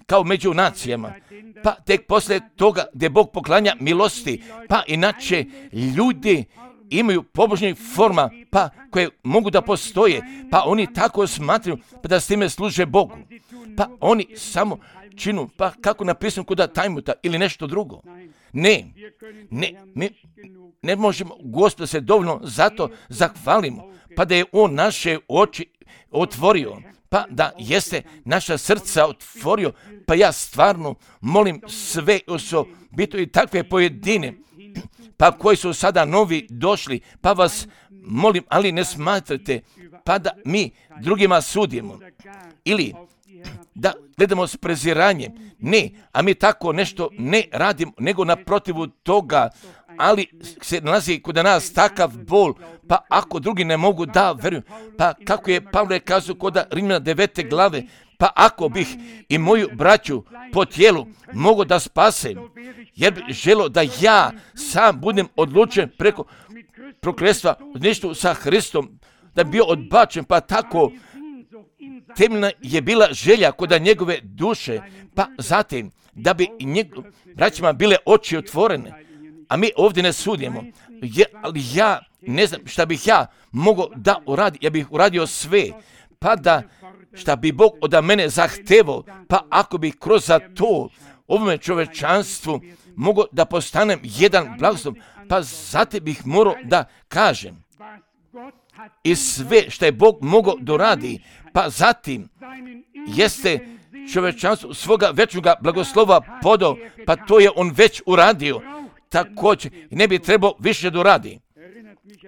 kao među nacijama, pa tek poslije toga gdje Bog poklanja milosti, pa inače ljudi imaju pobožnih forma, pa koje mogu da postoje, pa oni tako smatraju, pa da s time služe Bogu, pa oni samo činu, pa kako napisano kod Tajmuta ili nešto drugo. Ne, ne, mi ne možemo Gospoda se dovoljno zato zahvalimo, pa da je on naše oči otvorio, pa da jeste naša srca otvorio, pa ja stvarno molim sve osobito i takve pojedine, pa koji su sada novi došli, pa vas molim, ali ne smatrate, pa da mi drugima sudimo, ili da gledamo s preziranjem, ne, a mi tako nešto ne radimo, nego naprotivu toga, ali se nalazi kod nas takav bol, pa ako drugi ne mogu da veruju, pa kako je Pavle kazao kod Rimljana devete glave, pa ako bih i moju braću po tijelu mogu da spasem, jer bih želio da ja sam budem odlučen preko prokletstva nešto sa Hristom, da bi bio odbačen, pa tako temeljna je bila želja kod njegove duše, pa zatim da bi njegov, braćima bile oči otvorene, a mi ovdje ne sudimo, je, ali ja ne znam šta bih ja mogao da uradim, ja bih uradio sve, pa da šta bi Bog od mene zahtevao, pa ako bih kroz za to ovome čovečanstvu mogao da postanem jedan blagoslov, pa zatim bih morao da kažem i sve što je Bog mogao doradi, pa zatim jeste čovečanstvo svoga večnog blagoslova podao, pa to je on već uradio, također ne bi trebao više doradi.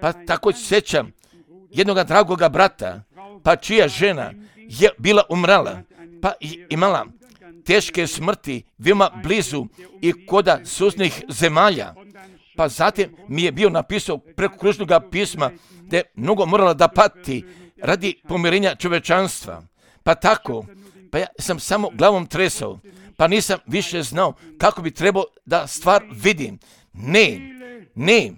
Pa također sjećam jednoga dragoga brata, pa čija žena je bila umrala, pa imala teške smrti veoma blizu i koda susjednih zemalja. Pa zatim mi je bio napisao preko kružnog pisma da je mnogo morala da pati radi pomirenja čovečanstva. Pa tako, pa ja sam samo glavom tresao, pa nisam više znao kako bi trebao da stvar vidim. Ne, ne,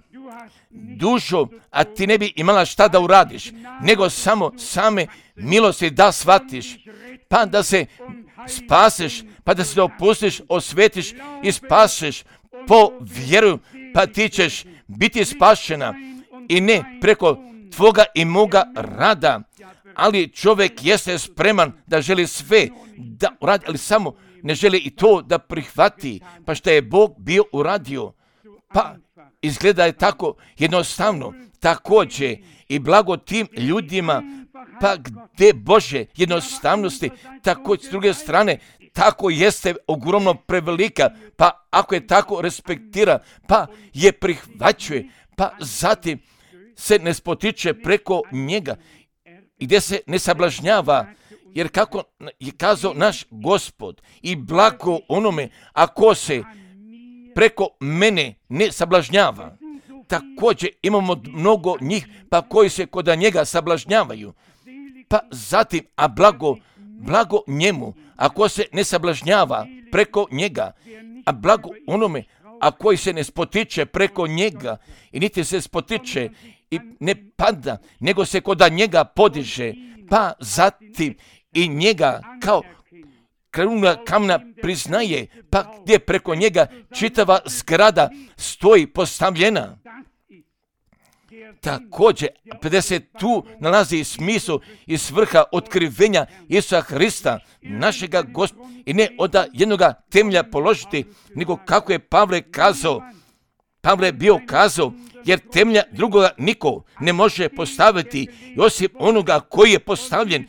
dušo, a ti ne bi imala šta da uradiš, nego samo same milosti da shvatiš. pa da se spaseš, pa da se opustiš, osvetiš i spaseš po vjeru, pa ti ćeš biti spašena i ne preko tvoga i moga rada. Ali čovjek jeste spreman da želi sve da uradi, ali samo ne želi i to da prihvati, pa što je Bog bio uradio. Pa izgleda je tako jednostavno, također i blago tim ljudima, pa gdje Bože jednostavnosti, tako s druge strane, tako jeste ogromno prevelika, pa ako je tako respektira, pa je prihvaćuje, pa zatim se ne spotiče preko njega, gdje se ne sablažnjava, jer kako je kazao naš Gospod, i blago onome ako se preko mene ne sablažnjava. Također imamo mnogo njih pa koji se kod njega sablažnjavaju. Pa zatim, a blago, blago njemu, ako se ne sablažnjava preko njega, a blago onome, a koji se ne spotiče preko njega i niti se spotiče i ne pada, nego se kod njega podiže, pa zatim i njega kao kruna kamna priznaje, pa gdje preko njega čitava zgrada stoji postavljena. Također, pedeset tu nalazi smisao i svrha otkrivenja Isusa Hrista, našega Gospoda, i ne od jednoga temelja položiti, nego kako je Pavle kazao, Pavle je bio kazao, jer temelja drugoga niko ne može postaviti, osim onoga koji je postavljen.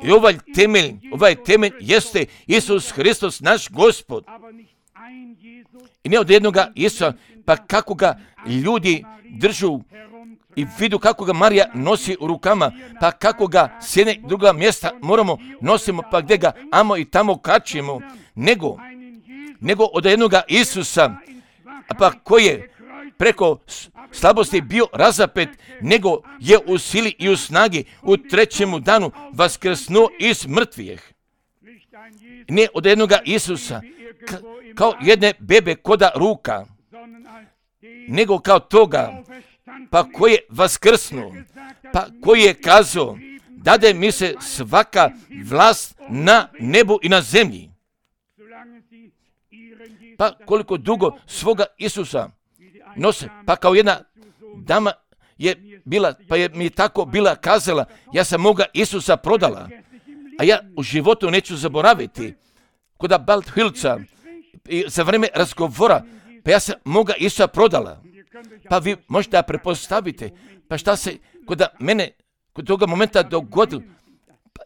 I ovaj temelj, ovaj temelj jeste Isus Hristos, naš Gospod. I ne od jednoga Isusa, pa kako ga ljudi držu i vidu kako ga Marija nosi u rukama, pa kako ga s jedne druga mjesta moramo nosimo, pa gdje ga amo i tamo kačimo, nego, nego od jednoga Isusa, pa koji je preko slabosti bio razapet, nego je u sili i u snagi u trećemu danu vaskrsnuo iz mrtvih. Ne od jednoga Isusa, ka, kao jedne bebe koda ruka, nego kao toga, pa koji je vaskrsnuo, pa koji je kazao, dade mi se svaka vlast na nebu i na zemlji. Pa koliko dugo svoga Isusa nose, pa kao jedna dama je bila, pa je mi tako bila kazala, ja sam moga Isusa prodala, a ja u životu neću zaboraviti, kod Balthilca, i za vrijeme razgovora, pa ja sam moga Isusa prodala. Pa vi možete da prepostavite, pa šta se kod mene, kod toga momenta dogodilo,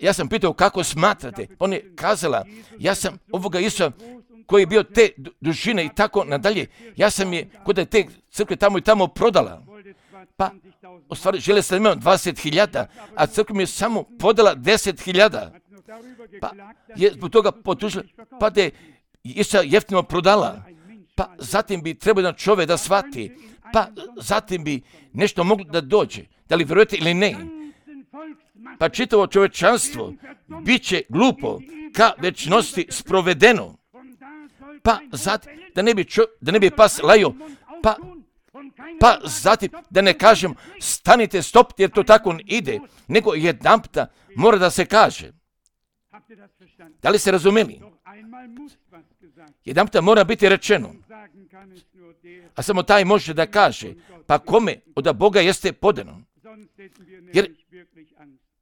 ja sam pitao kako smatrate, on je kazala, ja sam ovoga Isusa koji je bio te dužine i tako nadalje, ja sam je kod te crkve tamo i tamo prodala. Pa, u stvari, žele sam imao dvadeset hiljada, a crkva mi je samo podala deset hiljada. Pa, je zbog toga potužila, pa da je Isusa jeftino prodala. Pa, zatim bi trebao jedan čovjek da shvati, pa, zatim bi nešto moglo da dođe, da li vjerujete ili ne. Pa čitavo čovječanstvo bit će glupo ka večnosti sprovedeno. Pa zatim, da ne bi, čo, da ne bi pas lajo, pa, pa zatim, da ne kažem, stanite, stopite, jer to tako ide, nego jedanputa mora da se kaže. Da li ste razumeli? Jedanputa mora biti rečeno, a samo taj može da kaže, pa kome od Boga jeste podano. Jer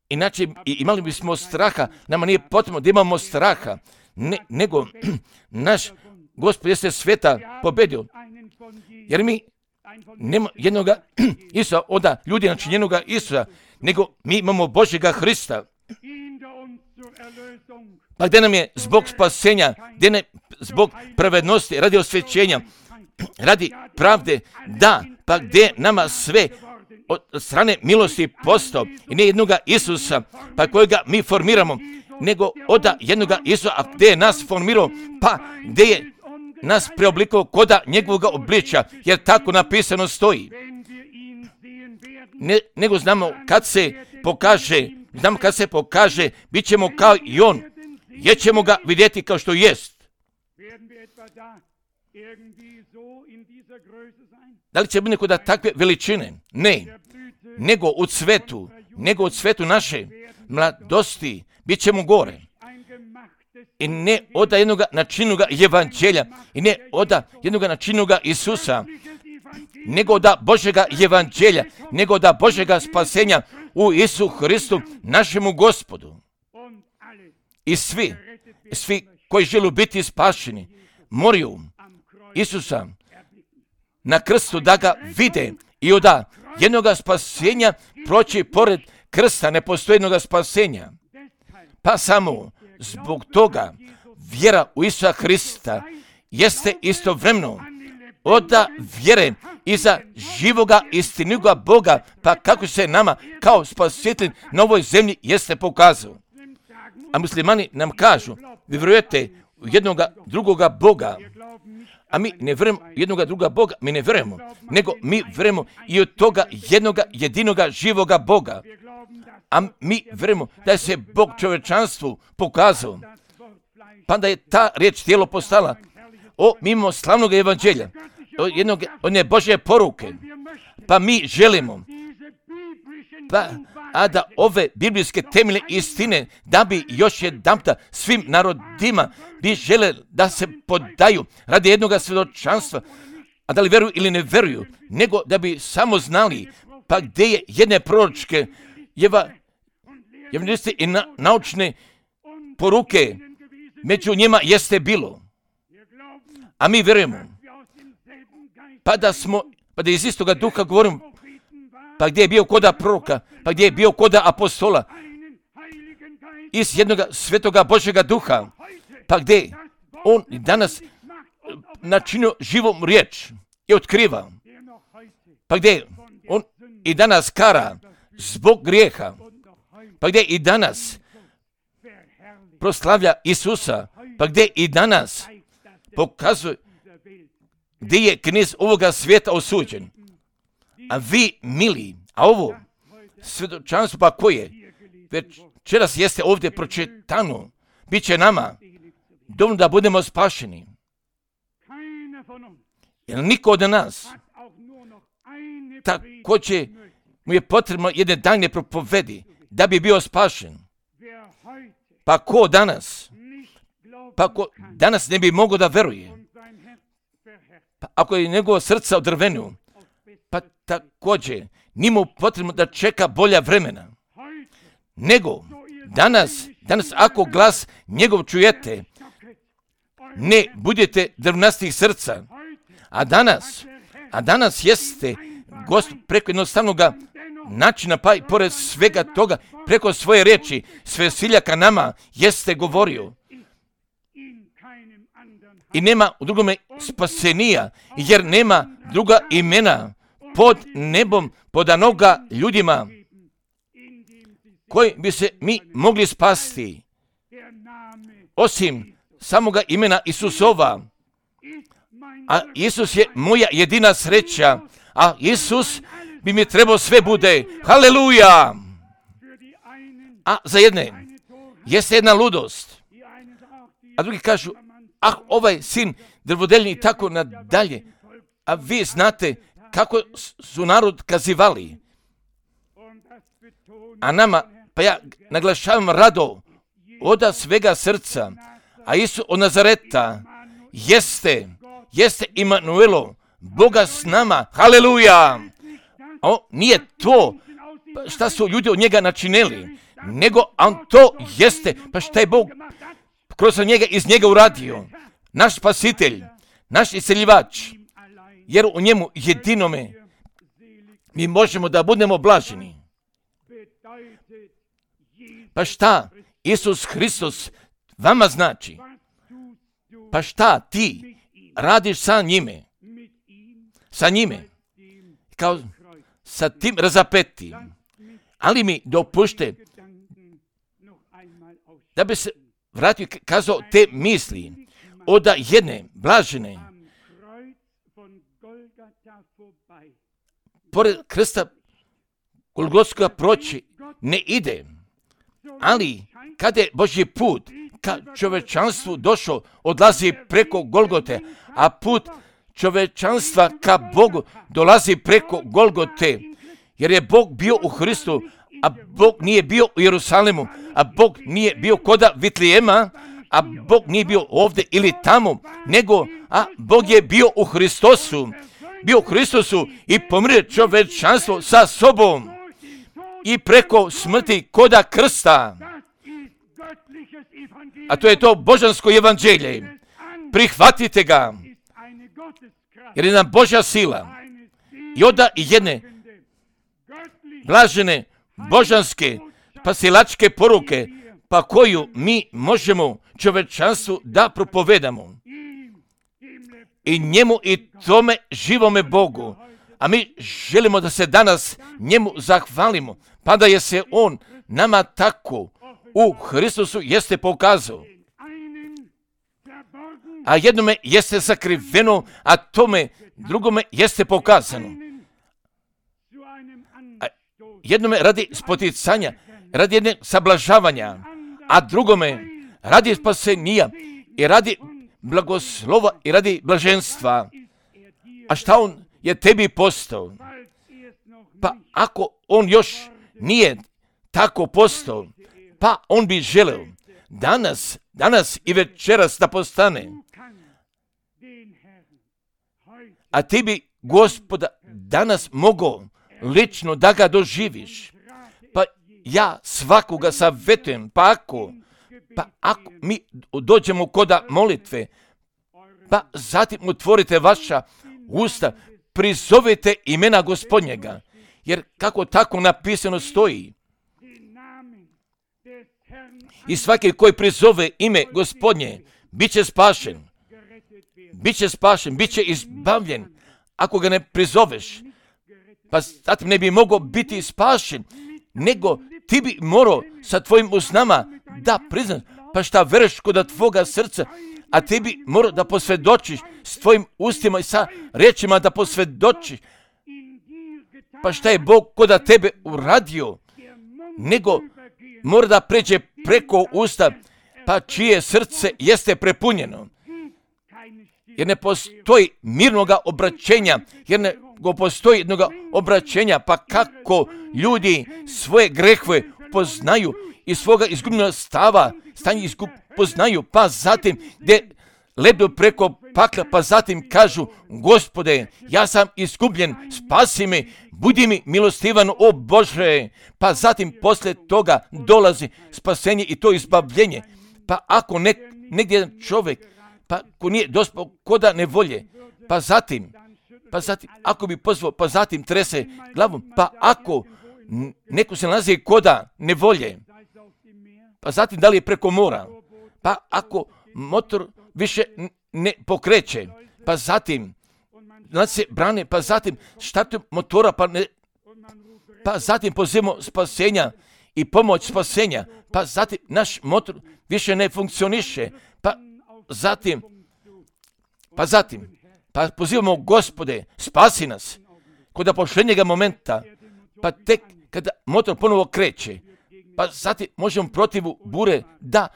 inače imali bismo straha, nama nije potrebno da imamo straha, ne, nego naš Gospod jeste sveta pobedio. Jer mi nema jednoga Isusa od ljudi načinjenoga Isusa, nego mi imamo Božjega Hrista. Pa gdje nam je zbog spasenja, gdje ne zbog pravednosti, radi osvećenja, radi pravde, da, pa gdje nama sve od strane milosti postao i ne jednoga Isusa, pa kojega mi formiramo, nego od jednoga Isusa, a gdje je nas formirao, pa gdje je nas preoblikovao koda njegovog obličja, jer tako napisano stoji. Ne, nego znamo kad se pokaže, znamo kad se pokaže, bit ćemo kao i on, jer ćemo ga vidjeti kao što jest. Da li će biti kod takve veličine? Ne, nego u cvetu, nego u cvetu naše mladosti, bit ćemo gore. i ne oda jednoga načinoga evanđelja, i ne oda jednoga načinoga Isusa, nego da Božega evanđelja, nego da Božega spasenja u Isu Hristu, našemu Gospodu. I svi, svi koji žele biti spašeni, moraju Isusa na krstu da ga vide i oda jednoga spasenja proći pored krsta, ne postoji jednoga spasenja. Pa samo zbog toga vjera u Isusa Hrista jeste istovremeno oda vjere iza živoga istiniga Boga, pa kako se nama kao spasitelj na ovoj zemlji jeste pokazao. A muslimani nam kažu, vi vjerujete u jednoga drugoga Boga, a mi ne vjerujemo u jednoga druga Boga, mi ne vjerujemo, nego mi vjerujemo i od toga jednoga jedinoga živoga Boga. A mi vjerujemo da je se Bog čovječanstvu pokazao, pa da je ta riječ tijelo postala. O, mimo slavnog evanđelja, o jednog, one Božje poruke, pa mi želimo, pa, a da ove biblijske temeljne istine, da bi još jedanputa svim narodima bi žele da se podaju radi jednoga svjedočanstva, a da li vjeruju ili ne vjeruju, nego da bi samo znali, pa gdje je jedne proročke jeva, evangelisti i na, naučne poruke, među njima jeste bilo. A mi vjerujemo, pa da smo, pa da iz istoga duha govorimo, pa gdje je bio koda proroka, pa gdje je bio koda apostola, iz jednoga svetoga Božjega duha, pa gdje on danas načinio živom riječ i otkriva, pa gdje on i danas kara zbog grijeha, pa gdje i danas proslavlja Isusa, pa gdje i danas pokazuje gdje je knez ovoga svijeta osuđen. A vi, mili, a ovo svjedočanstvo pa koje večeras jeste ovdje pročitano, bit će nama dovoljno da budemo spašeni. Jer niko od nas također mu je potrebno jedne dane propovedi da bi bio spašen. Pa ko danas, pa ko danas ne bi mogao da veruje, pa ako je njegovo srce odrvenio, pa također nije mu potrebno da čeka bolja vremena. Nego danas, danas ako glas njegov čujete, ne budete drvnastih srca. A danas, a danas jeste Gospod preko jednostavnog načina, pa i pored svega toga, preko svoje riječi, sve siljaka nama jeste govorio. I nema u drugome spasenija, jer nema druga imena pod nebom podanoga ljudima koji bi se mi mogli spasti, osim samoga imena Isusova. A Isus je moja jedina sreća, a Isus bi mi trebao sve bude. Haleluja! A za jedne jeste jedna ludost, a drugi kažu, ah, ovaj sin drvodeljni i tako nadalje. A vi znate kako su narod kazivali. A nama, pa ja naglašavam rado oda svega srca, a Isus od Nazareta jeste, jeste Imanuelo, Boga s nama. Haleluja! O, nije to šta su ljudi od njega načinili, nego on to jeste, pa šta je Bog kroz njega iz njega uradio. Naš spasitelj, naš isceljivač, jer u njemu jedinome mi možemo da budemo blaženi. Pa šta Isus Hristos vama znači? Pa šta ti radiš sa njime? Sa njime? Kao sa tim razapetim. Ali mi dopušte da bi se vratio kazao te misli od jedne blažene pored krsta Golgotskoga proći ne ide, ali kada je Božji put ka čovečanstvu došao, odlazi preko Golgote, a put čovečanstva ka Bogu dolazi preko Golgote, jer je Bog bio u Hristu, a Bog nije bio u Jerusalemu, a Bog nije bio koda Vitlijema, a Bog nije bio ovdje ili tamo, nego a Bog je bio u Hristosu, bio u Hristosu i pomirio čovječanstvo sa sobom i preko smrti koda krsta. A to je to božansko evanđelje. Prihvatite ga, jer je nam Božja sila. I onda i jedne blažene božanske spasilačke poruke, pa koju mi možemo čovječanstvu da propovedamo. I njemu i tome živome Bogu. A mi želimo da se danas njemu zahvalimo, pa da je se on nama tako u Hristusu jeste pokazao. A jednome jeste sakriveno, a tome drugome jeste pokazano. A jednome radi spoticanja, radi jedne sablažavanja, a drugome radi spasenija i radi blagoslova i radi blaženstva. A šta on je tebi postao? Pa ako on još nije tako postao, pa on bi želeo danas, danas i večeras da postane. A ti bi Gospoda danas mogao lično da ga doživiš. Pa ja svakoga savjetujem, pa ako, pa ako mi dođemo koda molitve, pa zatim otvorite vaša usta, prizovete imena Gospodnjega, jer kako tako napisano stoji. I svaki koji prizove ime Gospodnje, bit će spašen. Biće spašen, bit će izbavljen. Ako ga ne prizoveš, pa zatim ne bi mogao biti spašen, nego ti bi morao sa tvojim usnama da priznaš, pa šta veruješ kod tvoga srca, a ti bi morao da posvjedočiš s tvojim ustima i sa riječima da posvjedočiš, pa šta je Bog kod tebe uradio, nego mora da pređe preko usta, pa čije srce jeste prepunjeno. Jer ne postoji mirnoga obraćenja, jer ne postoji jednog obraćenja, pa kako ljudi svoje grehve poznaju i svoga izgubljenog stava, stanje izgub, poznaju, pa zatim gdje ledu preko pakla, pa zatim kažu, Gospode, ja sam izgubljen, spasi me, budi mi milostivan, o Bože, pa zatim poslije toga dolazi spasenje i to izbavljenje. Pa ako nek, negdje čovjek, pa ko nije dospao koda nevolje, pa zatim, pa zatim, ako bi pozvao, pa zatim trese glavom, pa ako neko se nalazi koda nevolje, pa zatim da li je preko mora, pa ako motor više ne pokreće, pa zatim nalazi se brane, pa zatim štartu motora, pa, ne, pa zatim pozivamo spasenja i pomoć spasenja, pa zatim naš motor više ne funkcioniše, pa zatim, pa zatim, pa pozivamo Gospode, spasi nas, kod pošljenjega momenta, pa tek kada motor ponovo kreće, pa zatim možemo protivu bure da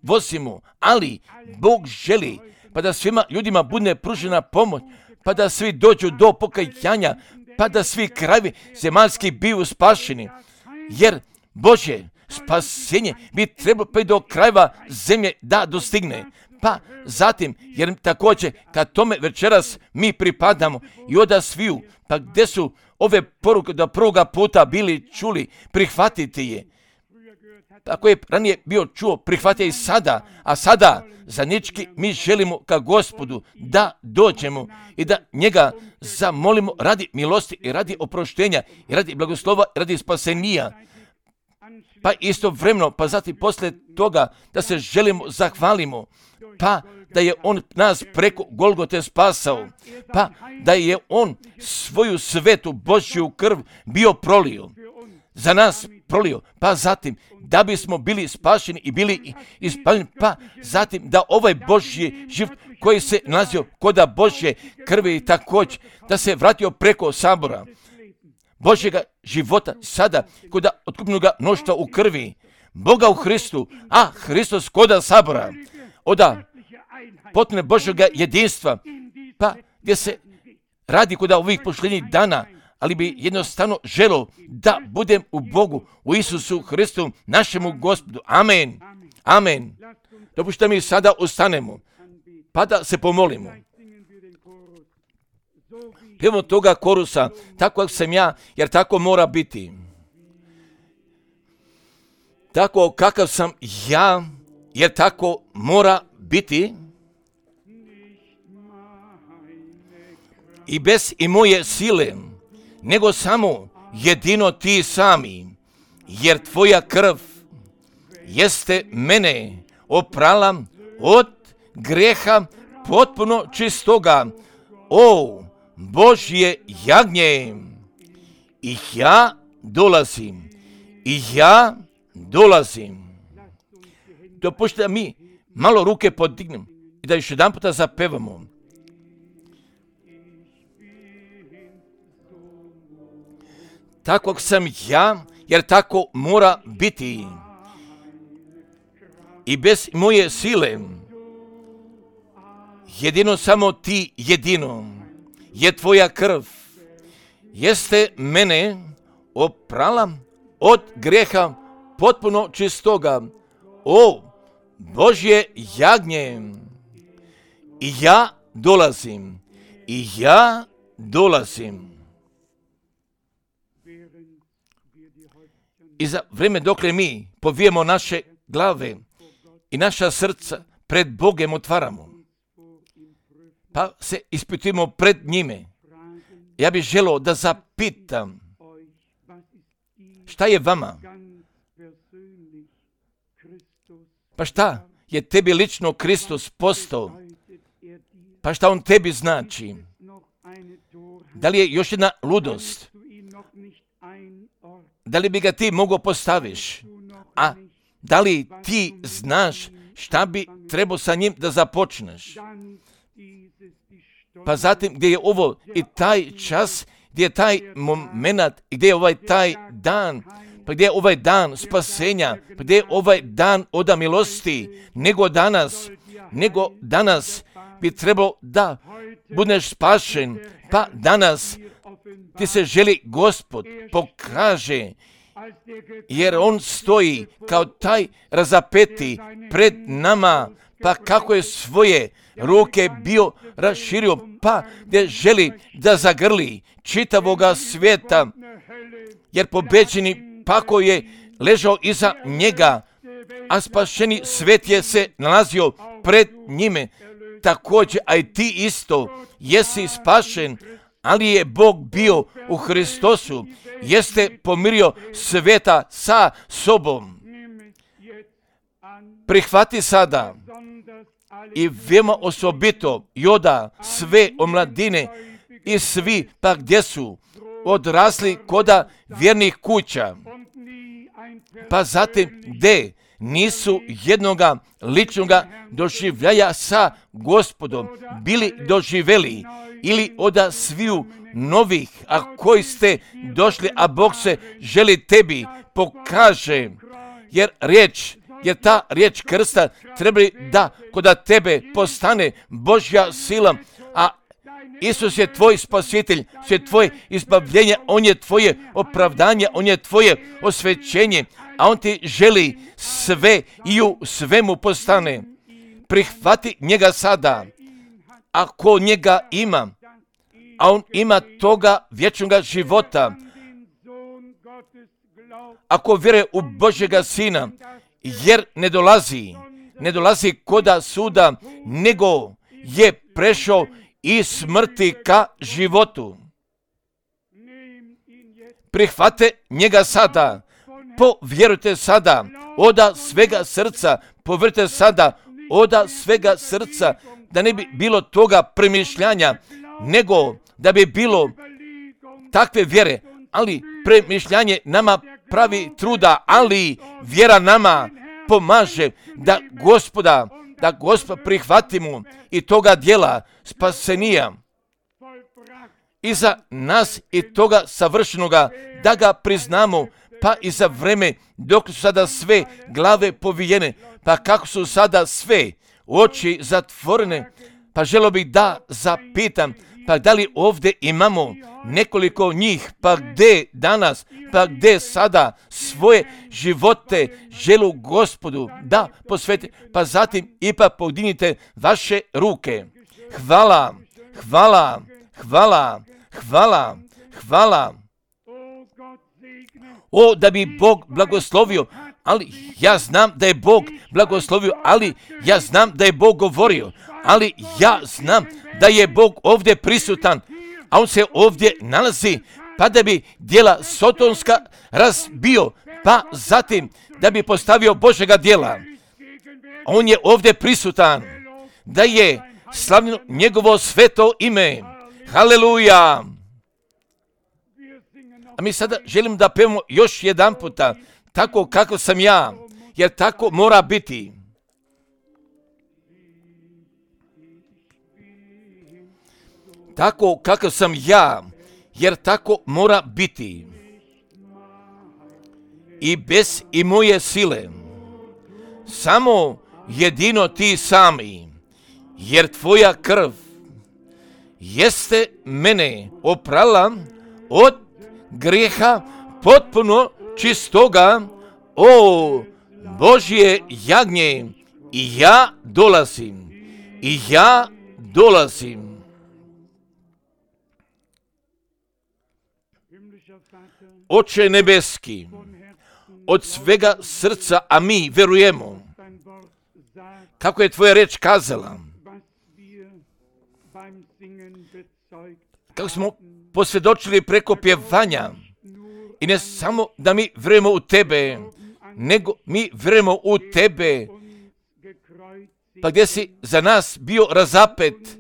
vozimo, ali Bog želi, pa da svima ljudima bude pružena pomoć, pa da svi dođu do pokajanja, pa da svi krajevi zemaljski biju spašeni, jer Bože, spasenje bi trebalo pa i do krajeva zemlje da dostigne. Pa zatim, jer također kad tome večeras mi pripadamo i oda sviju, pa gdje su ove poruke da prvoga puta bili čuli, prihvatite je. Ako je ranije bio čuo, prihvatite i sada, a sada zajednički mi želimo ka Gospodu da dođemo i da njega zamolimo radi milosti i radi oproštenja i radi blagoslova i radi spasenija. Pa istovremeno, pa zatim poslije toga da se želimo zahvalimo, pa da je on nas preko Golgote spasao, pa da je on svoju svetu Božju krv bio prolio, za nas prolio, pa zatim da bismo bili spašeni i bili ispaljeni, pa zatim da ovaj Božji život koji se nalazio koda Božje krvi također, da se vratio preko sabora Božjega života sada koda otkupnoga mnoštva u krvi Boga u Hristu, a Hristos koda sabora, oda potpune Božjega jedinstva, pa gdje se radi koda ovih posljednjih dana, ali bi jednostavno želo da budem u Bogu, u Isusu Hristu, našemu Gospodu. Amen. Amen. Dopušta mi sada ustanemo, pa da se pomolimo. Pjevamo toga korusa, tako sam ja, jer tako mora biti. Tako kakav sam ja, jer tako mora biti. I bez i moje sile, nego samo jedino ti sami, jer tvoja krv jeste mene oprala od greha potpuno čistoga. O Božje jagnje, i ja dolazim, i ja dolazim. Dopušta da mi malo ruke podignem i da još jedan puta zapevamo. Takvog sam ja, jer tako mora biti. I bez moje sile, jedino samo ti jedino, je tvoja krv, jeste mene oprala od greha potpuno čistoga. O Božje jagnje, i ja dolazim, i ja dolazim. I za vrijeme dokle mi povijemo naše glave i naša srca pred Bogem otvaramo, pa se ispitujemo pred njime. Ja bih želio da zapitam, šta je vama? Pa šta je tebi lično Kristus postao? Pa šta on tebi znači? Da li je još jedna ludost? Da li bi ga ti mogao postaviš? A da li ti znaš šta bi trebao sa njim da započneš? Pa zatim gdje je ovo i taj čas, gdje je taj moment, gdje je ovaj taj dan, pa gdje je ovaj dan spasenja, pa gdje je ovaj dan oda milosti, nego danas, nego danas bi trebalo da budeš spašen, pa danas ti se želi Gospod pokaže, jer on stoji kao taj razapeti pred nama, pa kako je svoje ruke bio raširio, pa gdje želi da zagrli čitavoga svijeta, jer pobeđeni pako je ležao iza njega, a spašeni svijet je se nalazio pred njime. Također, a i ti isto jesi spašen, ali je Bog bio u Hristosu, jeste pomirio svijeta sa sobom. Prihvati sada i veoma osobito Joda sve omladine i svi pa gdje su odrasli koda vjernih kuća, pa zatim gdje nisu jednoga ličnoga doživljaja sa Gospodom bili doživeli, ili oda sviju novih, a koji ste došli, a Bog se želi tebi pokaže, jer riječ, jer ta riječ krsta treba da koda tebe postane Božja sila, a Isus je tvoj spasitelj, je tvoje izbavljenje, on je tvoje opravdanje, on je tvoje osvećenje, a on ti želi sve i u svemu postane. Prihvati njega sada, ako njega ima, a on ima toga vječnoga života. Ako vjeruje u Božjega Sina, jer ne dolazi, ne dolazi koda suda, nego je prešao iz smrti ka životu. Prihvate njega sada, povjerujte sada, oda svega srca, povjerujte sada, oda svega srca, da ne bi bilo toga premišljanja, nego da bi bilo takve vjere, ali premišljanje nama pravi truda, ali vjera nama pomaže da Gospoda, da Gospod prihvatimo i toga djela spasenija i za nas i toga savršenoga, da ga priznamo, pa i za vreme dok su sada sve glave povijene, pa kako su sada sve oči zatvorene, pa želio bih da zapitam, Pa da li ovdje imamo nekoliko njih, pa gdje danas, pa gdje sada svoje živote želu Gospodu da posveti, pa zatim ipak podignite vaše ruke. Hvala, hvala, hvala, hvala, hvala. O, da bi Bog blagoslovio, ali ja znam da je Bog blagoslovio, ali ja znam da je Bog govorio, ali ja znam da je Bog ovdje prisutan, a on se ovdje nalazi, pa da bi djela sotonska razbio, pa zatim da bi postavio Božega djela. On je ovdje prisutan, da je slavljeno njegovo sveto ime. Haleluja! A mi sada želim da pevamo još jedan puta, tako kako sam ja, jer tako mora biti. Tako kako sam ja, jer tako mora biti. I bez i moje sile, samo jedino ti sami, jer tvoja krv jeste mene oprala od grijeha potpuno čistoga. O Božje jagnje, i ja dolazim, i ja dolazim. Oče nebeski, od svega srca, a mi vjerujemo, kako je tvoja reč kazala, kako smo posvjedočili preko pjevanja, i ne samo da mi vjerujemo u tebe, nego mi vjerujemo u tebe, pa gdje si za nas bio razapet,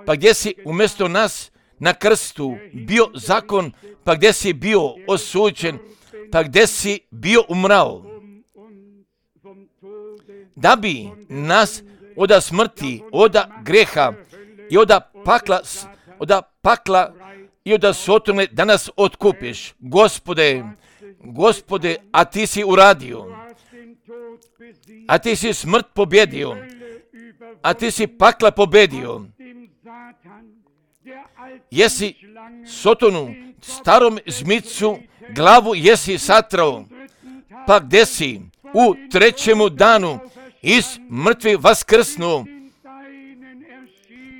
pa gdje si umjesto nas na krstu bio zakon, pa gdje si bio osuđen, pa gdje si bio umrao, da bi nas oda smrti, oda greha i oda pakla, oda pakla i oda sotone da nas otkupiš. Gospode, Gospode, a ti si uradio, a ti si smrt pobjedio, a ti si pakla pobjedio. Jesi Sotonu, starom zmicu, glavu jesi satrao, pa gdje si u trećemu danu iz mrtvi vaskrsnu,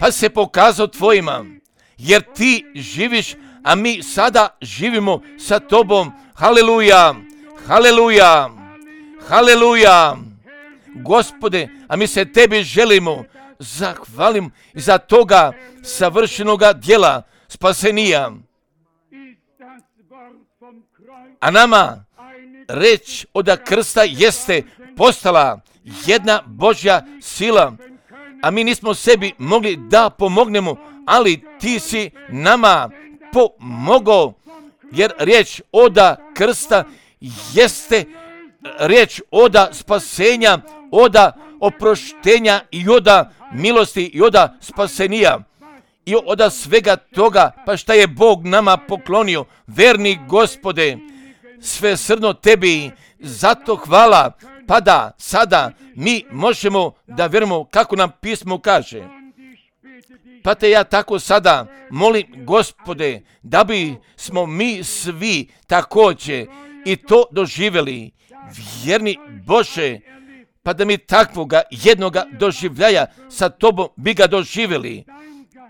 pa se pokazao tvojima, jer ti živiš, a mi sada živimo sa tobom. Haleluja, haleluja, haleluja. Gospode, a mi se tebi želimo zahvalim za toga savršenoga djela spasenija. A nama reč od krsta jeste postala jedna Božja sila, a mi nismo sebi mogli da pomognemo, ali ti si nama pomogao, jer riječ oda krsta jeste riječ oda spasenja, oda oproštenja i oda milosti i oda spasenija i oda svega toga, pa šta je Bog nama poklonio. Verni Gospode, sve srno tebi, zato hvala, pa da sada mi možemo da vjerujemo kako nam pismo kaže. Pa te ja tako sada molim, Gospode, da bi smo mi svi također i to doživjeli. Vjerni Bože, pa da mi takvoga jednoga doživljaja sa tobom bi ga doživjeli.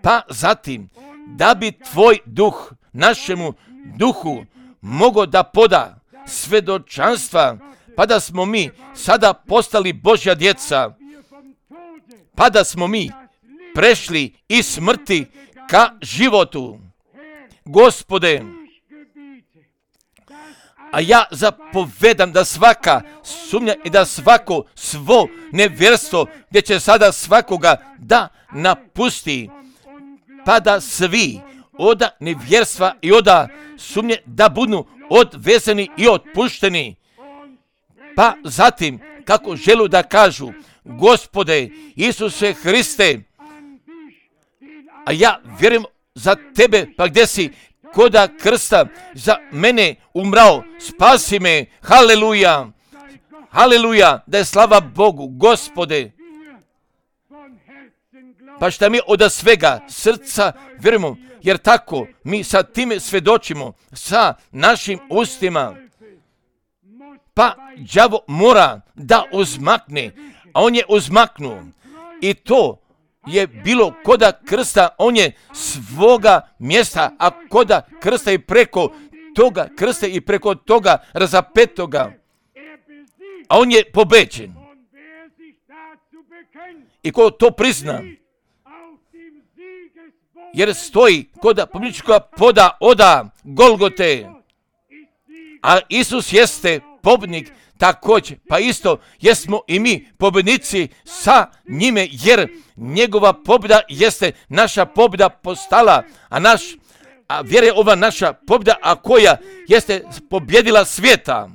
Pa zatim, da bi tvoj duh našemu duhu mogao da poda svedočanstva, pa da smo mi sada postali Božja djeca, pa da smo mi prešli iz smrti ka životu. Gospode, a ja zapovedam da svaka sumnja i da svako svo nevjerstvo gdje će sada svakoga da napusti, pa da svi oda nevjerstva i oda sumnje da budu odvezeni i otpušteni. Pa zatim, kako želu da kažu, Gospode Isuse Hriste, a ja vjerujem za tebe, pa gdje si koda krsta za mene umrao, spasi me. Haleluja, haleluja, da je slava Bogu. Gospode, Pa šta mi od svega srca vjerujemo, jer tako mi sa time svjedočimo, sa našim ustima. Pa đavo mora da uzmakne, a on je uzmaknuo. I to je bilo koda krsta, on je svoga mjesta, a koda krsta i preko toga krsta i preko toga razapetoga. A on je pobeđen. I ko to prizna, jer stoji koda pobjedničkoga poda oda Golgote, a Isus jeste pobjednik također, pa isto jesmo i mi pobjednici sa njime, jer njegova pobjeda jeste naša pobjeda postala, a naš, a vjera je ova naša pobjeda, a koja jeste pobjedila svijeta.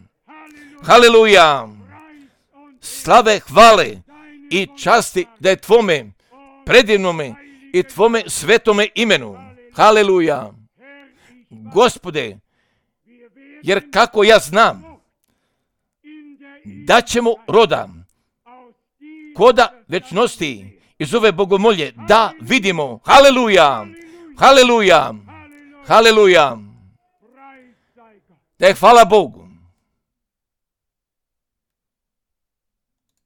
Haleluja! Slave, hvale i časti da je tvome predivnome i tvome svetome imenu. Haleluja! Gospode, jer kako ja znam da ćemo roda koda večnosti iz ove bogomolje da vidimo. Haleluja! Haleluja! Haleluja! Da je hvala Bogu.